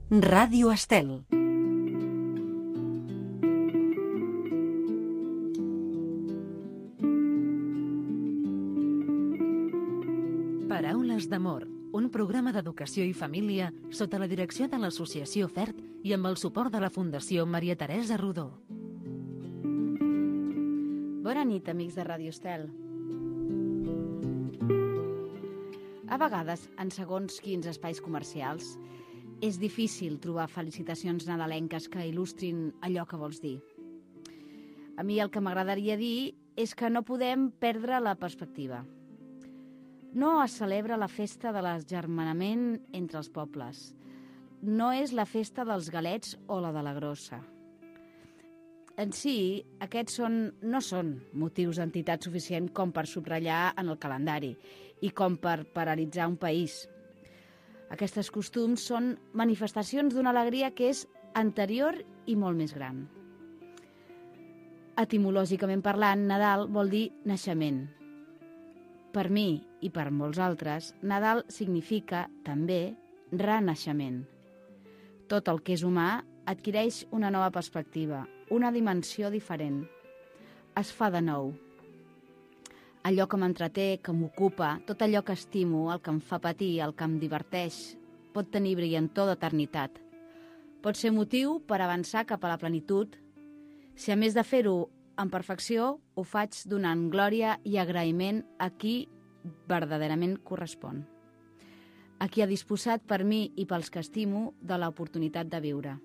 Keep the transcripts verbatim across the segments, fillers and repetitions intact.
Ràdio Estel. Paraules d'amor, un programa d'educació i família sota la direcció de l'Associació F E R T i amb el suport de la Fundació Maria Teresa Rodó. Bona nit, amics de Ràdio Estel. A vegades, en segons quins espais comercials, és difícil trobar felicitacions nadalenques que il·lustrin allò que vols dir. A mi el que m'agradaria dir és que no podem perdre la perspectiva. No es celebra la festa de l'agermanament entre els pobles. No és la festa dels galets o la de la grossa. En si, aquests són, no són motius d'entitat suficient com per subratllar en el calendari i com per paralitzar un país. Aquests costums són manifestacions d'una alegria que és anterior i molt més gran. Etimològicament parlant, Nadal vol dir naixement. Per mi i per molts altres, Nadal significa, també, renaixement. Tot el que és humà adquireix una nova perspectiva, una dimensió diferent. Es fa de nou. Allò que m'entreté, que m'ocupa, tot allò que estimo, el que em fa patir, el que em diverteix, pot tenir brillantor d'eternitat. Pot ser motiu per avançar cap a la plenitud. Si a més de fer-ho en perfecció, ho faig donant glòria i agraïment a qui verdaderament correspon. A qui ha disposat per mi i pels que estimo de l'oportunitat de viure.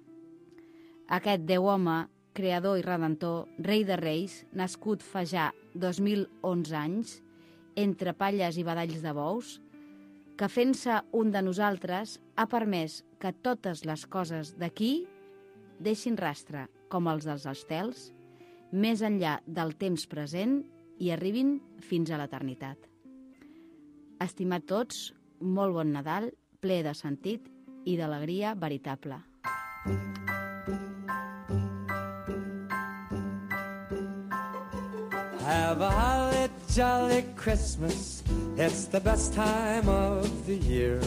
Aquest Déu home, creador i redentor, rei de reis, nascut fa ja dos mil onze anys, entre palles i badalls de bous, que fent-se un de nosaltres ha permès que totes les coses d'aquí deixin rastre, com els dels estels, més enllà del temps present i arribin fins a l'eternitat. Estimat tots, molt bon Nadal, ple de sentit i d'alegria veritable. Have a holly jolly Christmas, it's the best time of the year.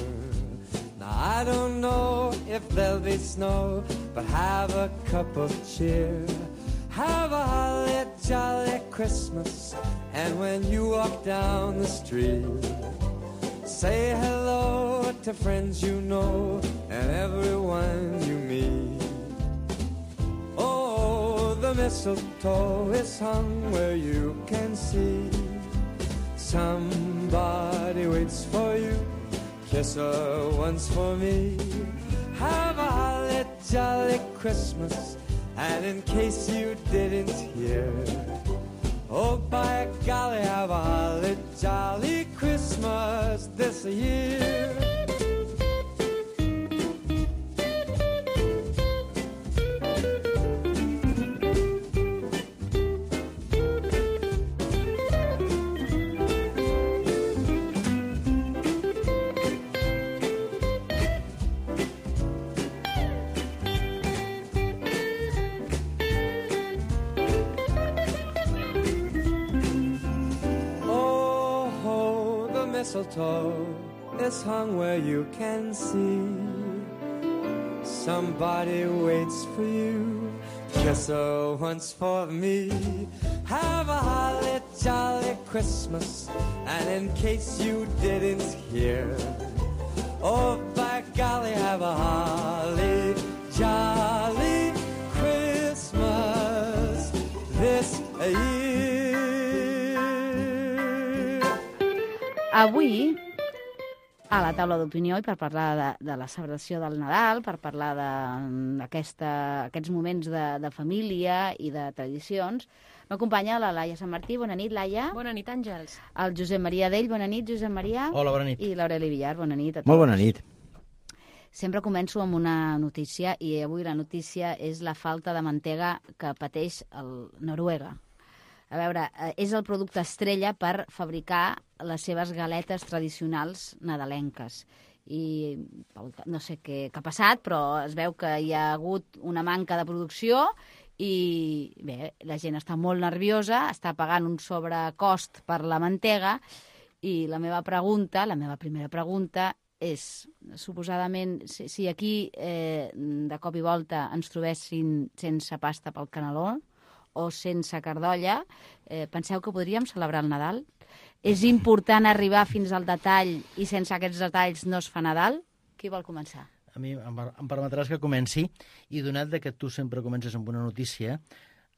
Now I don't know if there'll be snow, but have a cup of cheer. Have a holly jolly Christmas, and when you walk down the street, say hello to friends you know and everyone you meet. The mistletoe is hung where you can see. Somebody waits for you, kiss her once for me. Have a holly jolly Christmas, and in case you didn't hear, oh by golly, have a holly jolly Christmas this year. Mistletoe is hung where you can see. Somebody waits for you, kiss her once for me. Have a holly jolly Christmas, and in case you didn't hear, oh by golly, have a holly jolly Christmas this year. Avui, a la taula d'opinió i per parlar de, de la celebració del Nadal, per parlar d'aquests moments de, de família i de tradicions, m'acompanya la Laia Sant Martí. Bona nit, Laia. Bona nit, Àngels. El Josep Maria Dell. Bona nit, Josep Maria. Hola, bona nit. I l'Aureli Villar. Bona nit a tots. Molt bona nit. Sempre començo amb una notícia, i avui la notícia és la falta de mantega que pateix el Noruega. A veure, és el producte estrella per fabricar les seves galetes tradicionals nadalenques. I no sé què, què ha passat, però es veu que hi ha hagut una manca de producció i bé, la gent està molt nerviosa, està pagant un sobrecost per la mantega i la meva pregunta, la meva primera pregunta és, suposadament, si, si aquí eh, de cop i volta ens trobessin sense pasta pel caneló o sense cardolla, eh, penseu que podríem celebrar el Nadal? És important arribar fins al detall i sense aquests detalls no es fa Nadal? Qui vol començar? A mi em, em permetràs que comenci, i donat que tu sempre comences amb una notícia,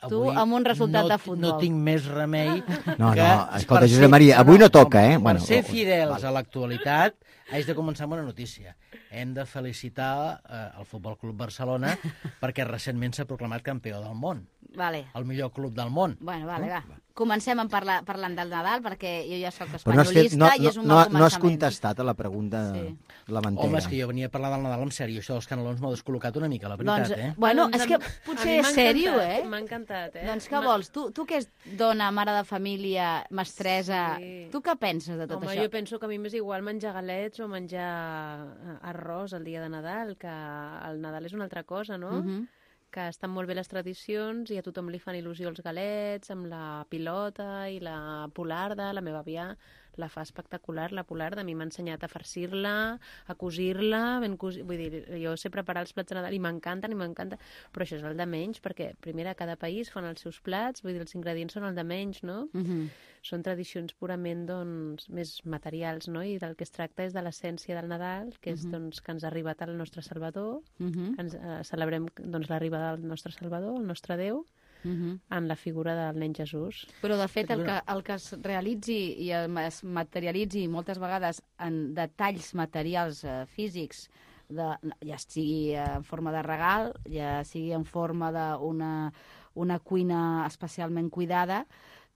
tu amb un resultat no, de futbol. No tinc més remei no, que... No, escolta, Josep Maria, avui no toca, eh? Per Bueno, ser fidels a l'actualitat, haig de començar amb una notícia. Hem de felicitar eh, el Futbol Club Barcelona perquè recentment s'ha proclamat campió del món. Vale. El millor club del món. Bueno, vale, va. Comencem en parlar, parlant del Nadal, perquè jo ja soc però no espanyolista no, i és un no, mal començament. no has contestat a la pregunta Sí. de la mantega. Home, és que jo venia a parlar del Nadal en sèrio. Això dels canelons m'ha descol·locat una mica, la veritat, Doncs, eh? bueno, Doncs és que a- potser a mi és m'ha sèrio, encantat, eh? M'ha encantat, eh? Doncs què M'ha- vols? Tu, tu que és dona, mare de família, mestressa, Sí. tu què penses de tot Home, això? jo penso que a mi m'és igual menjar galets o menjar eh, arròs el dia de Nadal, que el Nadal és una altra cosa, no? Mhm. Que estan molt bé les tradicions i a tothom li fan il·lusió els galets, amb la pilota i la polarda. La meva àvia la fa espectacular, la polarda. A mi m'ha ensenyat a farcir-la, a cosir-la, ben cosi... vull dir, jo sé preparar els plats de Nadal i m'encanten, i m'encanta, però això és el de menys, perquè, primera, cada país fan els seus plats, vull dir, els ingredients són el de menys, no? Mhm. Són tradicions purament, doncs, més materials, no? I del que es tracta és de l'essència del Nadal, que és, doncs, que ens ha arribat el nostre Salvador, Mhm. que ens eh, celebrem, doncs, l'arribada del nostre Salvador, el nostre Déu, Mhm. en la figura del nen Jesús. Però, de fet, el que, el que es realitzi i es materialitzi moltes vegades en detalls materials eh, físics, de, ja sigui en forma de regal, ja sigui en forma d'una una cuina especialment cuidada,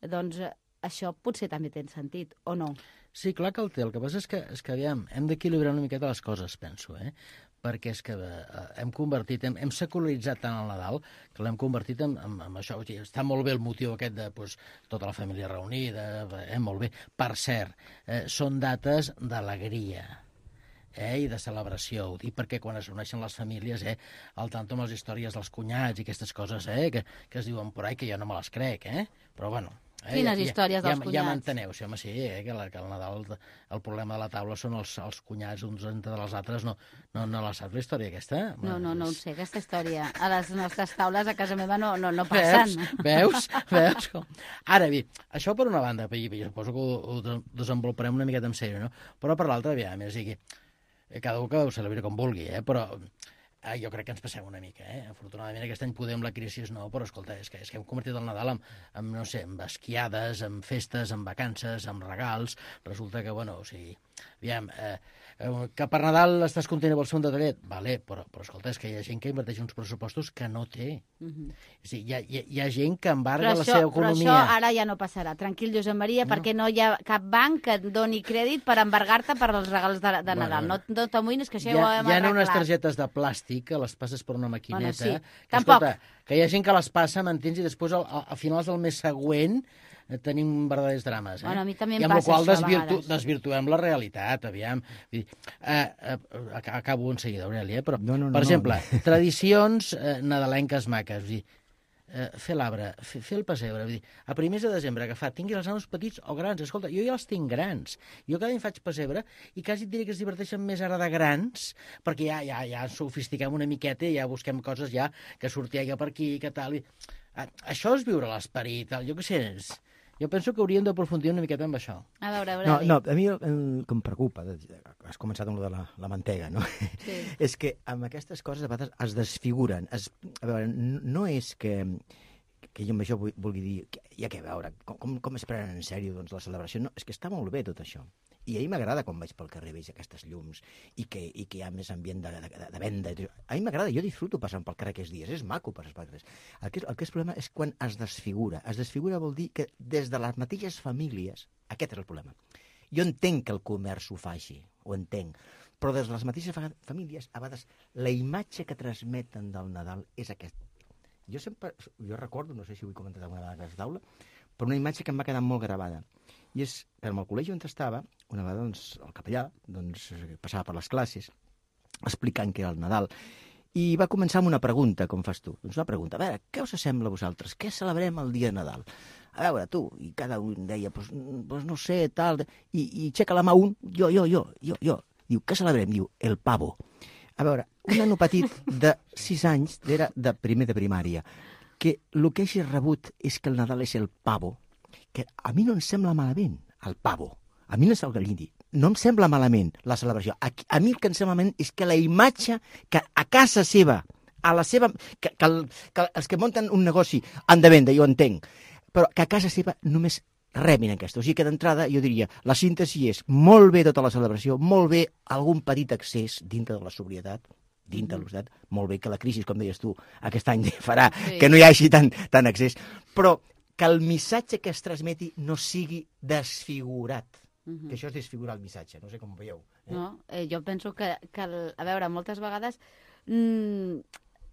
doncs eh, això potser també té sentit, o no? Sí, clar que el té. El que passa és que, és que aviam, hem d'equilibrar una miqueta les coses, penso, eh? Perquè és que eh, hem convertit, hem, hem secularitzat tant el Nadal que l'hem convertit en, en, en això. O sigui, està molt bé el motiu aquest de pues, tota la família reunida, eh, molt bé. Per cert, eh, són dates d'alegria, eh, i de celebració. Ho dic perquè quan es reuneixen les famílies, eh, al tanto amb les històries dels cunyats i aquestes coses, eh, que, que es diuen por ahí, que jo no me les crec, eh? Però bueno... Eh, Quines ja, històries ja, dels ja, cunyats? Ja m'enteneu, sí, home, sí, eh, que, la, que el Nadal, el problema de la taula són els, els cunyats uns entre dels altres. No, no, no la saps, la història aquesta? No, no, no ho És- sé, aquesta història. A les nostres taules a casa meva no, no, no passen. Veus? Veus? Veus? Com- Ara bé, això per una banda, i jo suposo que ho, ho desenvoluparem una miqueta en sèrio, no? Però per l'altra, aviam, és a dir, que cada un que ho celebri com vulgui, eh? Però eh, jo crec que ens passem una mica, eh? Afortunadament aquest any podem la crisi no, però escolta, és que, és que hem convertit el Nadal en, en, no sé, en esquiades, en festes, en vacances, en regals. Resulta que, bueno, o sigui, aviam, eh, eh, que per Nadal estàs content amb el segon detallet? Vale, però, però escolta, és que hi ha gent que inverteix uns pressupostos que no té. Mhm. O sigui, hi, ha, hi, ha, hi ha gent que embarga Però la això, seva però economia. això ara ja no passarà. Tranquil, Josep Maria, no. perquè no hi ha cap banc que et doni crèdit per embargar-te per als regals de, de Bueno, Nadal. bueno. No, no t'amoïnis, que això Hi ja ho ha, hem hi ha arreglat. unes targetes de plàstic que les passes per una maquineta. Bueno, sí. Que, Tampoc. escolta, que hi ha gent que les passa, m'entens, i després al, a, a finals del mes següent eh, tenim verdaders drames. Eh? Bueno, a mi també em I amb la passa qual això a desvirtu, vegades. desvirtuem la realitat, aviam. Vull dir, eh, eh, ac- acabo en seguida, Aurelia, eh? però, No, no, no, per no. exemple, tradicions eh, nadalenques maques, vull dir, eh, fer l'arbre, fer, fer el pessebre, vull dir, a primers de desembre agafar, tinguis els nanos petits o grans, escolta, jo ja els tinc grans, jo cada any faig pessebre i quasi et diré que es diverteixen més ara de grans, perquè ja, ja, ja ens sofistiquem una miqueta i ja busquem coses ja que sortia per aquí, que tal, i... Ah, això és viure l'esperit, tal, jo què sé, és... jo penso que hauríem d'aprofundir una miqueta amb això. A veure, a veure. No, no, a mi el, el que em preocupa, de- has començat amb lo de la, la mantega, no? Sí. És que amb aquestes coses a vegades es desfiguren. Es, a veure, n- no és que, que jo amb això vu- vulgui dir, que, ja que a veure, com, com, com es prenen en sèrio doncs, la celebració? No, és que està molt bé tot això. I a mi m'agrada quan vaig pel carrer, veig aquestes llums i que, i que hi ha més ambient de, de, de venda. A mi m'agrada, jo disfruto passant pel carrer aquests dies, és maco passar pel carrer. El que, és, el que és problema és quan es desfigura. Es desfigura vol dir que des de les mateixes famílies, aquest és el problema. Jo entenc que el comerç ho faci, ho entenc, però des de les mateixes fa- famílies, a vegades, la imatge que transmeten del Nadal és aquest. Jo sempre, jo recordo, no sé si ho he comentat alguna vegada a aquesta taula, però una imatge que em va quedar molt gravada. I és que en el col·legi on estava, una vegada doncs, el capellà doncs, passava per les classes explicant què era el Nadal. I va començar amb una pregunta, com fas tu. Doncs una pregunta, a veure, què us sembla a vosaltres? Què celebrem el dia de Nadal? A veure, tu, i cada un deia, pues, pues no sé, tal, i, i aixeca la mà un, jo, jo, jo, jo, jo. Diu, què celebrem? Diu, el pavo. A veure, un nano petit de sis anys, era de primer de primària, que el que hagi rebut és que el Nadal és el pavo, que a mi no em sembla malament, el pavo. A mi no és el gallindi. No em sembla malament la celebració. A, a mi el que em sembla malament és que la imatge que a casa seva, a la seva, que, que, el, que els que munten un negoci han de vendre, jo entenc, però que a casa seva només rebin aquesta. O sigui que d'entrada jo diria, la síntesi és molt bé tota la celebració, molt bé algun petit excés dintre de la sobrietat, dintre de l'hostat, molt bé que la crisi, com deies tu, aquest any farà sí. que no hi hagi tant, tant excés, però que el missatge que es transmeti no sigui desfigurat. Uh-huh. Que això és desfigurar el missatge, no sé com ho veieu. Eh? No, eh, jo penso que, que el, a veure, moltes vegades mmm,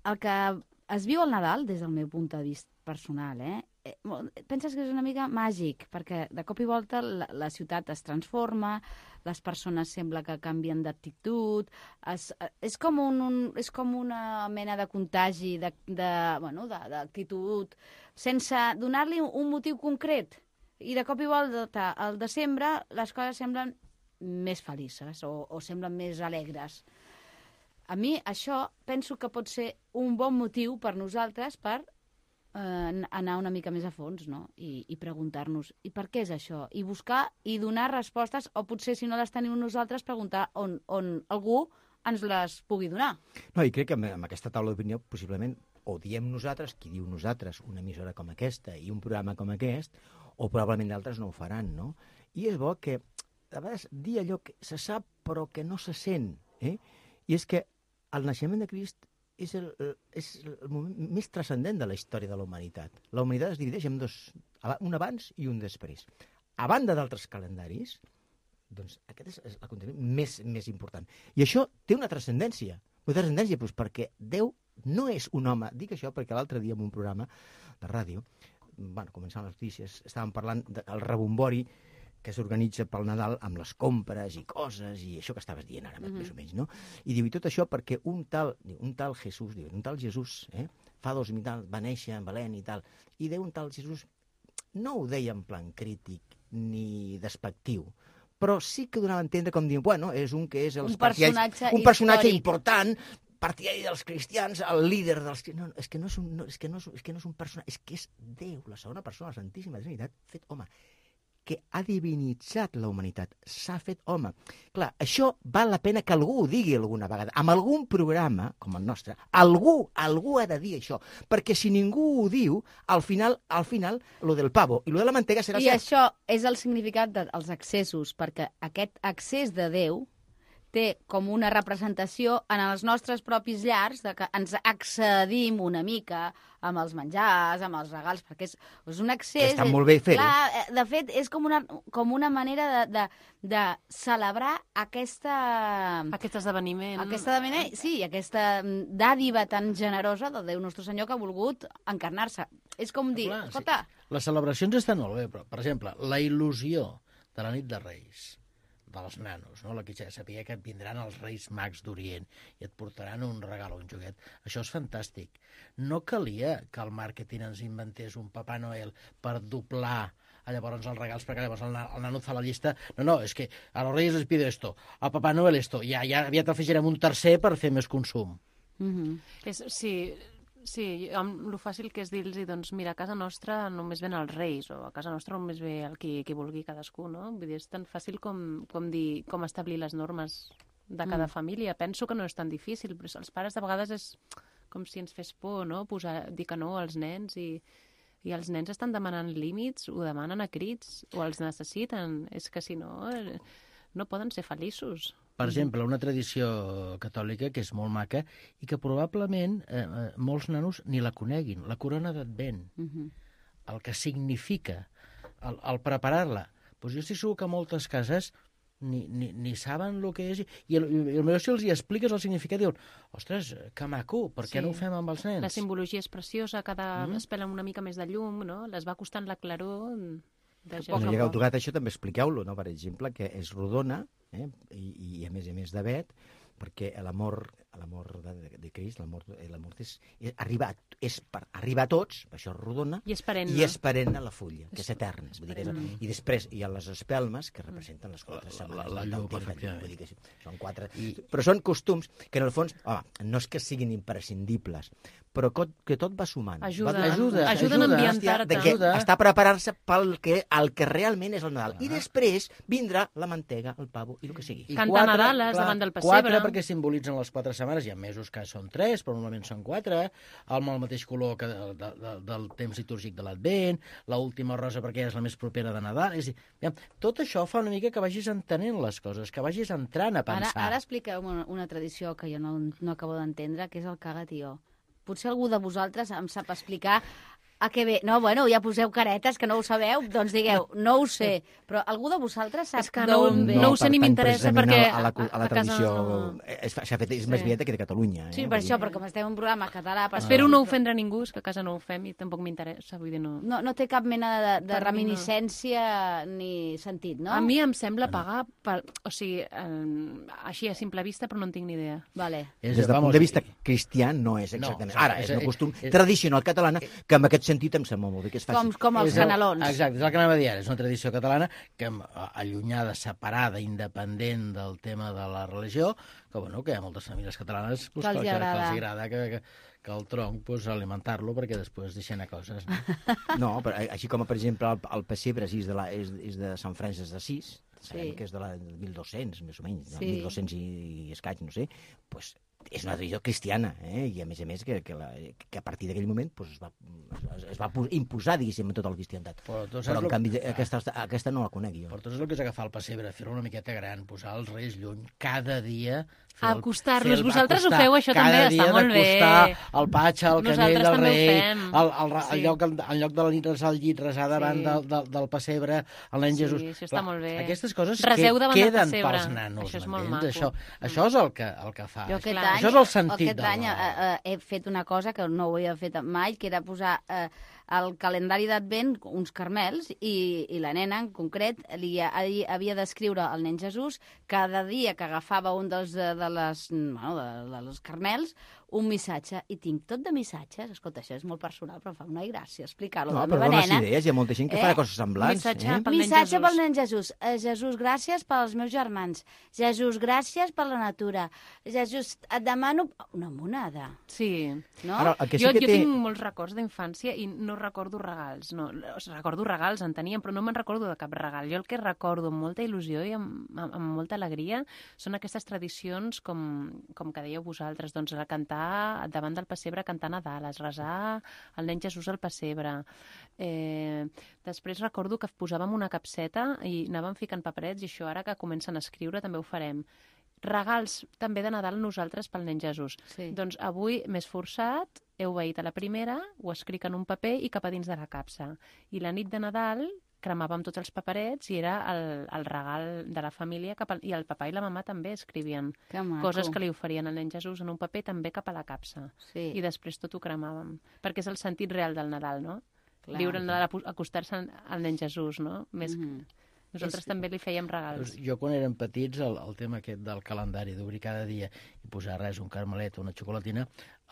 el que es viu al Nadal, des del meu punt de vista personal, eh, eh, penses que és una mica màgic, perquè de cop i volta la, la ciutat es transforma, les persones sembla que canvien d'actitud, es, és, com un, un, és com una mena de contagi de, de, bueno, d'actitud, sense donar-li un motiu concret. I de cop i volta, al desembre, les coses semblen més felices o, o semblen més alegres. A mi això penso que pot ser un bon motiu per nosaltres per eh, anar una mica més a fons, no? I, i preguntar-nos, i per què és això? I buscar i donar respostes, o potser, si no les tenim nosaltres, preguntar on, on algú ens les pugui donar. No, i crec que amb, amb aquesta taula d'opinió, possiblement, o diem nosaltres, qui diu nosaltres, una emissora com aquesta i un programa com aquest, o probablement d'altres no ho faran, no? I és bo que, a vegades, dir allò que se sap però que no se sent, eh? I és que el naixement de Crist és el, és el moment més transcendent de la història de la humanitat. La humanitat es divideix en dos, un abans i un després. A banda d'altres calendaris, doncs aquest és l'aconteciment més, més important. I això té una transcendència. Una transcendència doncs, perquè Déu no és un home. Dic això perquè l'altre dia en un programa de ràdio, bueno, començant les notícies, estàvem parlant del rebombori que s'organitza pel Nadal amb les compres i coses i això que estaves dient ara, mm-hmm. més o menys, no? I diu, i tot això perquè un tal, un tal Jesús, diu, un tal Jesús, eh, fa dos mil tal, va néixer en Belén i tal, i Déu un tal Jesús no ho deia en plan crític ni despectiu, però sí que donava a entendre com dient, bueno, és un que és els un personatge, un personatge important, partidari dels cristians, el líder dels... No, és que no és un, no, és que no és, és que no és un personatge, és que és Déu, la segona persona, la Santíssima Trinitat, fet home, que ha divinitzat la humanitat, s'ha fet home. Clar, això val la pena que algú ho digui alguna vegada. Amb algun programa, com el nostre, algú, algú ha de dir això, perquè si ningú ho diu, al final, al final, lo del pavo i lo de la mantega serà I cert. I això és el significat dels excessos, perquè aquest excés de Déu té com una representació en els nostres propis llars de que ens excedim una mica amb els menjars, amb els regals, perquè és, és un excés... Està molt bé fer-ho. Clar, de fet, és com una, com una manera de, de, de celebrar aquesta... Aquest esdeveniment. Aquest esdeveniment, sí, aquesta dàdiva tan generosa del Déu Nostre Senyor que ha volgut encarnar-se. És com dir, clar, escolta... Sí. Les celebracions estan molt bé, però, per exemple, la il·lusió de la nit de Reis, dels nanos, no? La que ja sabia que et vindran els Reis Mags d'Orient i et portaran un regal o un joguet. Això és fantàstic. No calia que el màrqueting ens inventés un Papà Noel per doblar llavors els regals, perquè llavors el, el nano fa la llista. No, no, és que a los Reyes les pido esto, a Papà Noel esto, ja, ja aviat afegirem un tercer per fer més consum. Mm-hmm. És, sí, sí, amb lo fàcil que és dir-los, doncs mira, a casa nostra només ven els Reis, o a casa nostra només ve el qui, qui vulgui cadascú, no? Vull dir, és tan fàcil com, com dir, com establir les normes de cada mm. família. Penso que no és tan difícil, però els pares de vegades és com si ens fes por, no? Posar, dir que no als nens i, i els nens estan demanant límits, ho demanen a crits, o els necessiten. És que si no, no poden ser feliços. Per exemple, una tradició catòlica que és molt maca i que probablement eh, molts nanos ni la coneguin, la corona d'Advent, uh-huh. el que significa, el, el preparar-la. Pues jo estic segur que moltes cases ni, ni, ni saben el que és, i el, i el meu si els hi expliques el significat, diuen, ostres, que maco, per què sí. no ho fem amb els nens? La simbologia és preciosa, cada mm. es pela una mica més de llum, no? Les va costant la claror... Quan hagueu tocat això, també expliqueu-lo, no? Per exemple, que és rodona, eh? I, i a més a més de vet, perquè l'amor l'amor de, de, de Crist, l'amor l'amor és, és, arriba, és per, arriba a tots, això és rodona, I és perenne. i és perenne la fulla, que és eterna. Vull dir que és, I després hi ha les espelmes, que representen les quatre setmanes. la del llum, temps, efectivament. vull dir que sí, són quatre. I, però són costums que, en el fons, home, no és que siguin imprescindibles, però que, que tot va sumant. Ajuda, va, ajuda, ajuden ajuda. a ambientar-te. de que Ajuda. està preparant-se pel que, el que realment és el Nadal. I després vindrà la mantega, el pavo i el que sigui. I Cantar Nadales davant del pessebre. Quatre perquè simbolitzen les quatre setmanes. Hi ha mesos que són tres, però normalment són quatre. Amb el mateix color que de, de, de, del temps litúrgic de l'Advent. L'última rosa perquè és la més propera de Nadal. És a dir, aviam, tot això fa una mica que vagis entenent les coses, que vagis entrant a pensar. Ara, ara expliqueu una, una tradició que jo no, no acabo d'entendre, que és el cagatió. Potser algú de vosaltres em sap explicar a què ve. No, bueno, ja poseu caretes, que no ho sabeu, doncs digueu, no ho sé. Però algú de vosaltres sap És que no, d'on ve? no ho sé ni pertany m'interessa precisament perquè A la, a la, a la a casa tradició no- és, s'ha fet, és Sí. més vieta que de Catalunya. Eh? Sí, per això, però com estem en un programa català... Per Espero no ofendre ningú, és que a casa no ho fem i tampoc m'interessa, vull dir, no. No, no té cap mena de, de Per mi no. reminiscència ni sentit, no? A mi em sembla pagar, per, o sigui, eh, així a simple vista, però no en tinc ni idea. Vale. És, Des del vamos, punt de vista cristià no és No, exactament. exacte, Ara, és és- un costum és- tradicional catalana que en aquest sentit em sembla molt bé que es faci. Com, com els És el- canelons. Exacte, és el que anava a dir ara. És una tradició catalana que em- allunyada, separada, independent del tema de la religió, que, bueno, que hi ha moltes famílies catalanes pues, Que els que, que, agrada. que els agrada que, que, que el tronc pues, alimentar-lo perquè després deixen a coses. No? No, però així com, per exemple, el, el pessebre és de, la, és, és de Sant Francis d'Assís, sabem Sí. que és de la del mil dos-cents, més o menys, Sí. del mil dos-cents i, i escaig, no sé, pues, és una tradició cristiana, eh? I a més a més que, que, la, que a partir d'aquell moment pues, es va, es, es va pu- imposar, diguéssim, en tota la cristiandat. Però tu saps Però, en lo- canvi, Ah. aquesta, aquesta no la conec jo. Per tot és el que és agafar el pessebre, fer-lo una miqueta gran, posar els reis lluny, cada dia... fer el- Acostar-los. fer el- Vosaltres ho acostar, feu, això també, cada està dia molt bé. d'acostar el patxa, el Nosaltres canell del també ho rei, fem. el, el, el, Sí. el, lloc, en lloc de la nit resar al llit, resar davant Sí. del, del, del pessebre, el nen Sí, Jesús. això està molt bé. Aquestes coses Reseu que davant del queden pessebre. pels nanos, Això és molt m'entens? maco. Això, això és el que, el que fa. Jo aquest Clar. any, Això és el sentit aquest del any eh, Nadal. eh, he fet una cosa que no ho havia fet mai, que era posar eh, al calendari d'Advent uns carmels i, i la nena, en concret, li ha- havia d'escriure al nen Jesús cada dia que agafava un dels, de, de, les, bueno, de, de les carmels un missatge, i tinc tot de missatges. Escolta, això és molt personal, però em fa una gràcia explicar-lo. No, de la però meva dones nena. idees, hi ha molta gent que Eh? farà coses semblants. Missatge Eh? pel nen Missatge Jesús. pel nen Jesús. Eh, Jesús, gràcies pels meus germans. Jesús, gràcies per la natura. Jesús, et demano una monada. Sí. No? Ara, el que sí jo, que jo té... tinc molts records d'infància i no recordo regals. No, o sigui, recordo regals, en teníem, però no me'n recordo de cap regal. Jo el que recordo amb molta il·lusió i amb, amb, amb molta alegria són aquestes tradicions com, com que dèieu vosaltres, doncs a cantar davant del pessebre, cantar Nadales, resar el nen Jesús al pessebre. Eh, després recordo que posàvem una capseta i anàvem ficant paperets, i això ara que comencen a escriure també ho farem. Regals també de Nadal nosaltres pel nen Jesús. Sí. Doncs avui m'he esforçat, he obeït a la primera, ho escric en un paper i cap a dins de la capsa. I la nit de Nadal cremàvem tots els paperets i era el, el regal de la família cap al, i el papà i la mamà també escrivien Que maco. coses que li oferien al nen Jesús en un paper també cap a la capsa. Sí. I després tot ho cremàvem. Perquè és el sentit real del Nadal, no? Clar. Viure el Nadal, apo- acostar-se al- al nen Jesús, no? Més... Mhm. Nosaltres també li fèiem regals. Jo, quan érem petits, el, el tema aquest del calendari, d'obrir cada dia i posar res, un carmelet o una xocolatina,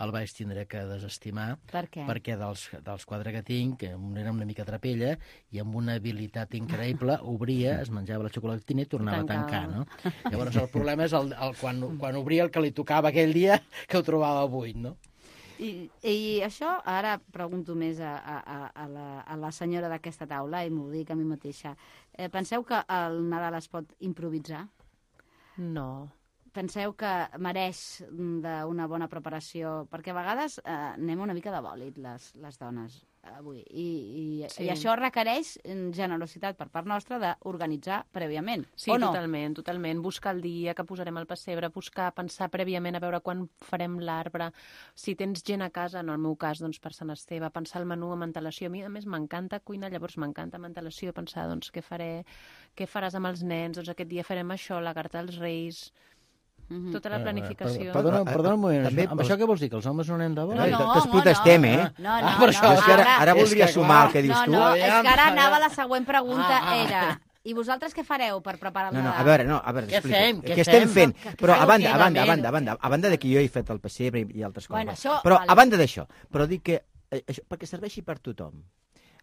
el vaig tindre que desestimar, Per què? perquè dels, dels quatre que tinc, que un era una mica trapella, i amb una habilitat increïble, obria, es menjava la xocolatina i tornava a tancar, Tancava. no? Llavors el problema és el, el, quan, quan obria el que li tocava aquell dia, que ho trobava buit, no? I, I això, ara pregunto més a, a, a- a, la, a la senyora d'aquesta taula i m'ho dic a mi mateixa. Eh, penseu que el Nadal es pot improvisar? No. Penseu que mereix mm, d'una bona preparació? Perquè a vegades eh, anem una mica de bòlit, les, les dones, avui. I, i, Sí. I això requereix mm, generositat per part nostra d'organitzar prèviament, Sí, o no? totalment, totalment. Buscar el dia que posarem al pessebre, buscar, pensar prèviament a veure quan farem l'arbre. Si tens gent a casa, en el meu cas, doncs per Sant Esteve, pensar el menú amb antelació. A mi, a més, m'encanta cuinar, llavors m'encanta amb antelació pensar, doncs, què faré, què faràs amb els nens, doncs aquest dia farem això, la carta als Reis... Mhm. Tota la planificació. Perdona, Ah, perdona un moment, també això, amb els- això què vols dir, que els homes no anem de No, bola? Eh, no, Tots no, protestem, no. eh? No, no, Ah, no, per això, no, És que ara, ara- ara És voldria que, sumar clar. el que dius No, tu. no, Aviam, és que ara aviam. anava la següent pregunta, Ah, ah. era... I vosaltres què fareu per preparar el No, no, Nadal? a veure, no, a veure, Què explico. fem, què Què estem fem? fent? Però a banda, a Què banda, a fem? banda, a banda, a banda de que jo he fet el pessebre i altres coses. Bueno, això, Però vale. a banda d'això, però dic que eh, això, perquè serveixi per tothom.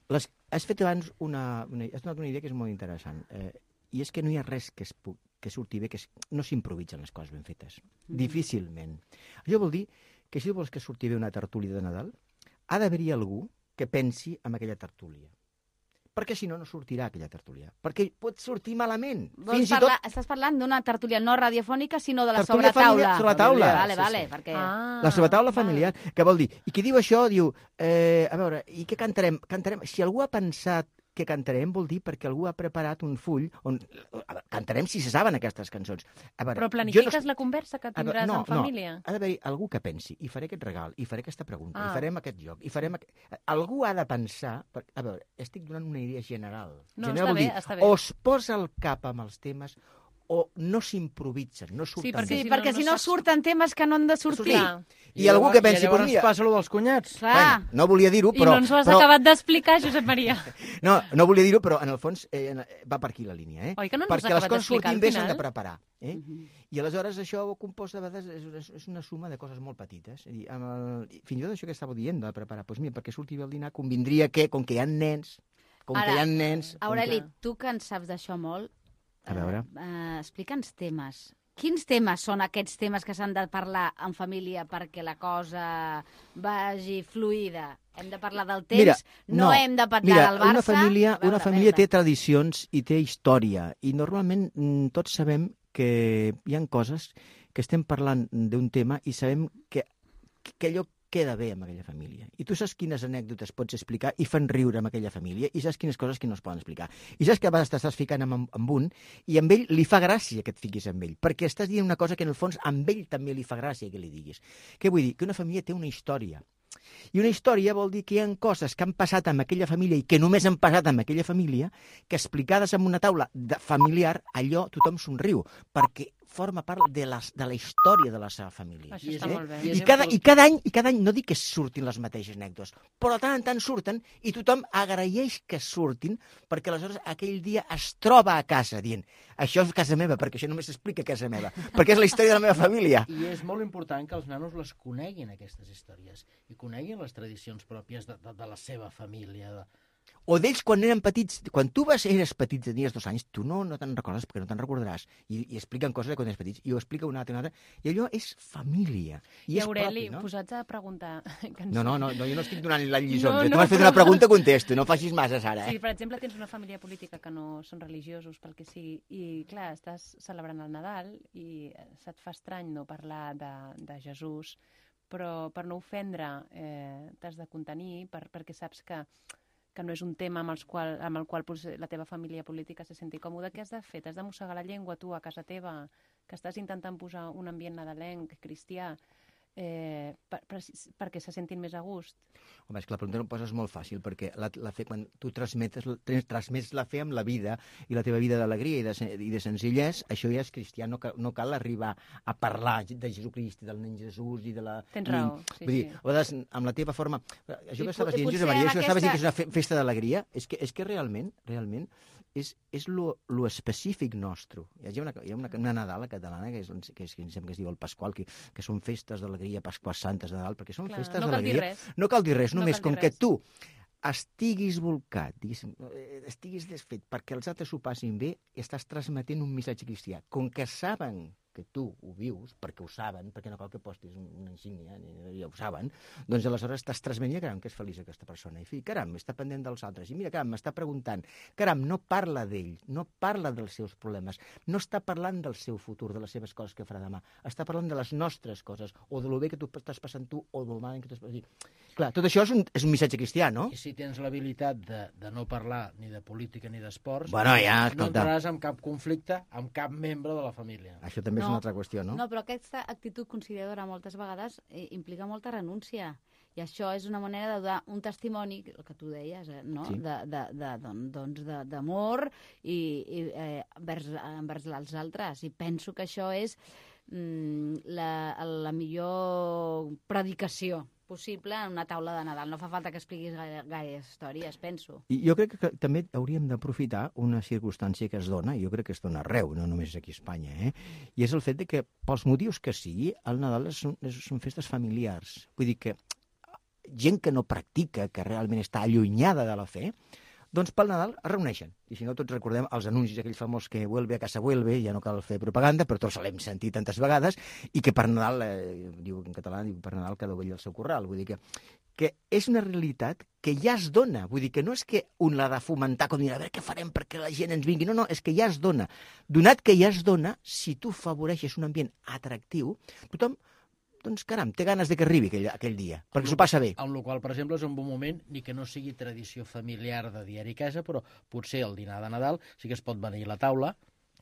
Les, has fet abans una, una, has donat una idea que és molt interessant. Eh, I és que no hi ha res que, es pu que surti bé, que es, no s'improvisen les coses ben fetes. Mm. Difícilment. Això vol dir que si vols que surti bé una tertúlia de Nadal, ha d'haver-hi algú que pensi en aquella tertúlia. Perquè si no, no sortirà aquella tertúlia. Perquè pot sortir malament. Vols Fins i parlar, tot Estàs parlant d'una tertúlia no radiofònica, sinó de la tertúlia sobretaula. familiar sobre la taula. Vale, Sí, vale, sí. perquè... Ah, La sobretaula val. familiar, que vol dir, i qui diu això diu, eh, a veure, i què cantarem? Cantarem, si algú ha pensat que cantarem, vol dir perquè algú ha preparat un full on a veure, cantarem si se saben aquestes cançons. A veure, Però jo planifiques no... la conversa que A veure, tindràs no, en família? No, ha d'haver algú que pensi, i faré aquest regal, i faré aquesta pregunta, Ah. i farem aquest joc, i farem... Aqu... Algú ha de pensar... Per... A veure, estic donant una idea general. No, general està vol bé, dir, està bé. o es posa el cap amb els temes o no s'improvisen, no surten perquè Sí, bé. si perquè no, si no no saps- surten temes que no han de sortir. Clar. I algú que pensi, I llavors pues mira- passa allò dels cunyats. Clar. Bueno, no volia dir-ho, I però... no ens ho has però... acabat d'explicar, Josep Maria. No, no volia dir-ho, però en el fons eh, va per aquí la línia. Eh? Oi que no ens ho has Perquè les acabat coses d'explicar surtin al bé s'han final? de preparar. Eh? I aleshores això compost de vegades és, és, és una suma de coses molt petites. És a dir, amb el, fins i tot això que estàveu dient de preparar, doncs mira, perquè surti bé el dinar convindria que, com que hi ha nens, com Ara, que hi ha nens... com Aureli, que- tu que en saps d'això molt, A veure. eh, explica'ns temes. Quins temes són aquests temes que s'han de parlar en família perquè la cosa vagi fluida? Hem de parlar del temps, Mira, no, no. hem de parlar Mira, del Barça... una família, A veure, una família a té veure. tradicions i té història. I normalment mm, tots sabem que hi ha coses que estem parlant d'un tema i sabem que, que allò queda bé amb aquella família. I tu saps quines anècdotes pots explicar i fan riure amb aquella família i saps quines coses que no es poden explicar. I saps que a vegades t'estàs ficant amb, amb un i amb ell li fa gràcia que et fiquis amb ell, perquè estàs dient una cosa que en el fons amb ell també li fa gràcia que li diguis. Què vull dir? Que una família té una història. I una història vol dir que hi ha coses que han passat amb aquella família i que només han passat amb aquella família, que explicades en una taula de familiar, allò tothom somriu, perquè forma part de la, de la història de la seva família. Això està molt bé. I cada, I cada any, i cada any, no dic que surtin les mateixes anècdotes, però de tant en tant surten i tothom agraeix que surtin perquè aleshores aquell dia es troba a casa dient això és casa meva, perquè això només s'explica a casa meva, perquè és la història de la meva família. I és molt important que els nanos les coneguin, aquestes històries, i coneguin les tradicions pròpies de, de, de la seva família. De... O d'ells quan eren petits, quan tu vas, eres petit, tenies dos anys, tu no, no te'n recordes perquè no te'n recordaràs. I, I expliquen coses de quan eres petits, i ho explica una altra, una altra, i allò és família. I, I és Aureli, propi, no? posats a preguntar... No, no, no, no, jo no estic donant les lliçons. No, No, no, tu m'has fet però- una pregunta, contesto, no facis masses ara, Si, eh? per exemple, tens una família política que no són religiosos, pel que sigui, i, clar, estàs celebrant el Nadal i se't fa estrany no parlar de, de Jesús, però per no ofendre eh, t'has de contenir per, perquè saps que que no és un tema amb, els qual, amb el qual potser la teva família política se senti còmoda, què has de fer? T'has de mossegar la llengua tu a casa teva, que estàs intentant posar un ambient nadalenc, cristià, eh, per, per, perquè se sentin més a gust? Home, és que la pregunta no poses molt fàcil, perquè la, la fe, quan tu transmetes, trans- transmets la fe amb la vida, i la teva vida d'alegria i, de, sen- i de senzillès, això ja és cristià, no, cal, no cal arribar a parlar de Jesucrist i del nen Jesús i de la... Tens raó, sí, Vull dir, sí. a vegades, amb la teva forma... Això I que po- estaves i dient, potser Josep Maria, amb això que estaves dient que és aquesta- una fe, festa d'alegria, és que, és que realment, realment, és, és lo, lo específic nostre. Hi ha una, hi ha una, una Nadal catalana que, és, que, és, que em sembla que es diu el Pasqual, que, que són festes d'alegria, Pasquas Santes de Nadal, perquè són Clar, festes no cal dir d'alegria. res. No cal dir res, No només cal dir com que res. tu estiguis volcat, diguéssim, eh, estiguis desfet perquè els altres ho passin bé, estàs transmetent un missatge cristià. Com que saben que tu ho vius, perquè ho saben, perquè no cal que postis una insígnia, ni, ja ho saben, doncs aleshores estàs transmetent, caram, que és feliç aquesta persona. I fi, caram, està pendent dels altres. I mira, caram, m'està preguntant. Caram, no parla d'ell, no parla dels seus problemes, no està parlant del seu futur, de les seves coses que farà demà. Està parlant de les nostres coses, o de lo bé que tu estàs passant tu, o del mal que tu estàs passant. Clar, tot això és un, és un missatge cristià, no? I si tens l'habilitat de, de no parlar ni de política ni d'esports, Bueno, ja, no escolta. entraràs en cap conflicte amb cap membre de la família. Això també és No. una altra qüestió, no? No, però aquesta actitud conciliadora moltes vegades eh, implica molta renúncia. I això és una manera de donar un testimoni, el que tu deies, eh, no? Sí. de, de, de, don- doncs de- d'amor i, i eh, envers, envers els altres. I penso que això és mm, la, la millor predicació possible en una taula de Nadal. No fa falta que expliquis gaire, gaire històries, penso. I jo crec que també hauríem d'aprofitar una circumstància que es dona, i jo crec que es dona arreu, no només aquí a Espanya, eh? I és el fet de que, pels motius que sigui, el Nadal són, són festes familiars. Vull dir que gent que no practica, que realment està allunyada de la fe, doncs pel Nadal es reuneixen. I si no, tots recordem els anuncis aquells famosos que vuelve a casa vuelve, ja no cal fer propaganda, però tots l'hem sentit tantes vegades, i que per Nadal, eh, diu en català, diu per Nadal cada ovella al seu corral. Vull dir que, que és una realitat que ja es dona. Vull dir que no és que un l'ha de fomentar com dir, a veure què farem perquè la gent ens vingui. No, no, és que ja es dona. Donat que ja es dona, si tu afavoreixes un ambient atractiu, tothom doncs, caram, té ganes de que arribi aquell, aquell dia, perquè s'ho passa bé. En el qual, per exemple, és un bon moment, ni que no sigui tradició familiar de diari a casa, però potser el dinar de Nadal sí que es pot venir a la taula,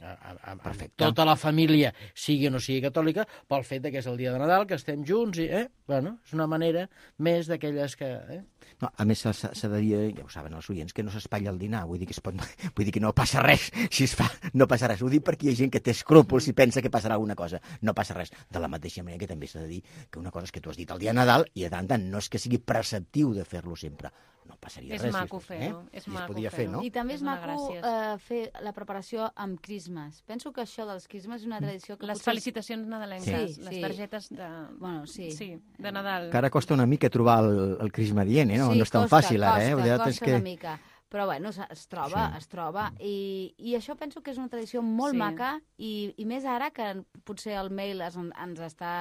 a, a, a, Perfecte. tota la família, sigui o no sigui catòlica, pel fet que és el dia de Nadal, que estem junts, i, eh? Bueno, és una manera més d'aquelles que... Eh? No, a més, s'ha de dir, ja ho saben els oients, que no s'espatlla el dinar, vull dir que, es pot, vull dir que no passa res, si es fa, no passa res. Ho dic perquè hi ha gent que té escrúpols i pensa que passarà alguna cosa. No passa res. De la mateixa manera que també s'ha de dir que una cosa és que tu has dit el dia de Nadal i de tant tant no és que sigui preceptiu de fer-lo sempre. No passaria és res. Maco Si es, fer-ho, eh? és I maco es podia fer-ho. fer, no? I també és, És una maco gràcia. eh, fer la preparació amb crismes. Penso que això dels crismes és una tradició que Les potser... felicitacions nadalenques, Sí, les sí. targetes de... Bueno, sí. Sí, de Nadal. Que ara costa una mica trobar el, el crisma dient, eh? No, Sí, no és tan costa, fàcil ara, eh? Costa, Vull dir, costa és que... una mica. Però bueno, es, es troba, Sí. es troba. I, I això penso que és una tradició molt Sí. maca i, i més ara que potser el mail es, ens està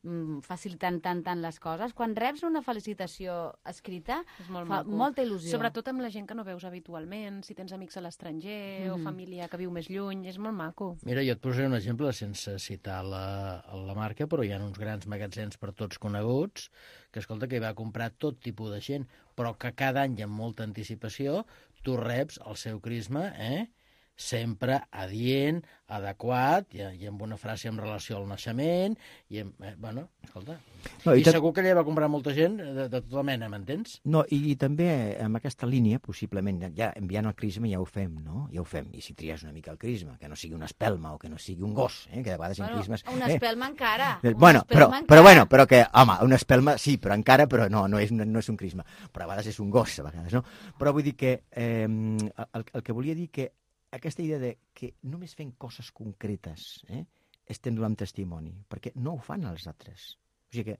mm, facilitant tant, tant les coses. Quan reps una felicitació escrita, És molt fa maco. molta il·lusió. Sobretot amb la gent que no veus habitualment, si tens amics a l'estranger o Mhm. família que viu més lluny, és molt maco. Mira, jo et posaré un exemple sense citar la, la marca, però hi ha uns grans magatzems per tots coneguts que, escolta, que hi va comprar tot tipus de gent, però que cada any i amb molta anticipació tu reps el seu crisma, eh? sempre adient, adequat, i, i amb una frase en relació al naixement, i, amb, eh, bueno, escolta... No, I, i tot- segur que allà va comprar molta gent de, de tota mena, m'entens? No, i, i també amb aquesta línia, possiblement, ja enviant el crisma ja ho fem, no? Ja ho fem. I si tries una mica el crisma, que no sigui una espelma o que no sigui un gos, eh? Que de vegades en Bueno, crismes... una eh, espelma encara. Eh, una Bueno, però, espelma però encara. bueno, però que, home, una espelma sí, però encara, però no, no és, no, no és un crisma. Però a vegades és un gos, a vegades, no? Però vull dir que, eh, el, el que volia dir que aquesta idea de que només fent coses concretes eh, estem donant testimoni, perquè no ho fan els altres. O sigui que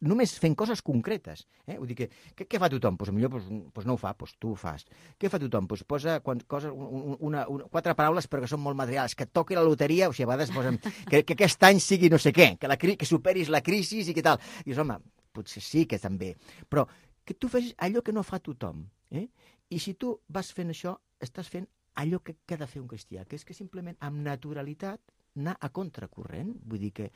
només fent coses concretes. Eh? Vull dir que, que què fa tothom? Pues, potser pues, pues no ho fa, pues tu ho fas. Què fa tothom? Pues posa quan, coses, un, una, una, quatre paraules però que són molt materials, que toqui la loteria, o sigui, a vegades posen que, que aquest any sigui no sé què, que, la, cri- que superis la crisi i què tal. I dius, home, potser sí que també, però que tu fes allò que no fa tothom. Eh? I si tu vas fent això, estàs fent allò que, que ha de fer un cristià, que és que simplement amb naturalitat anar a contracorrent. Vull dir que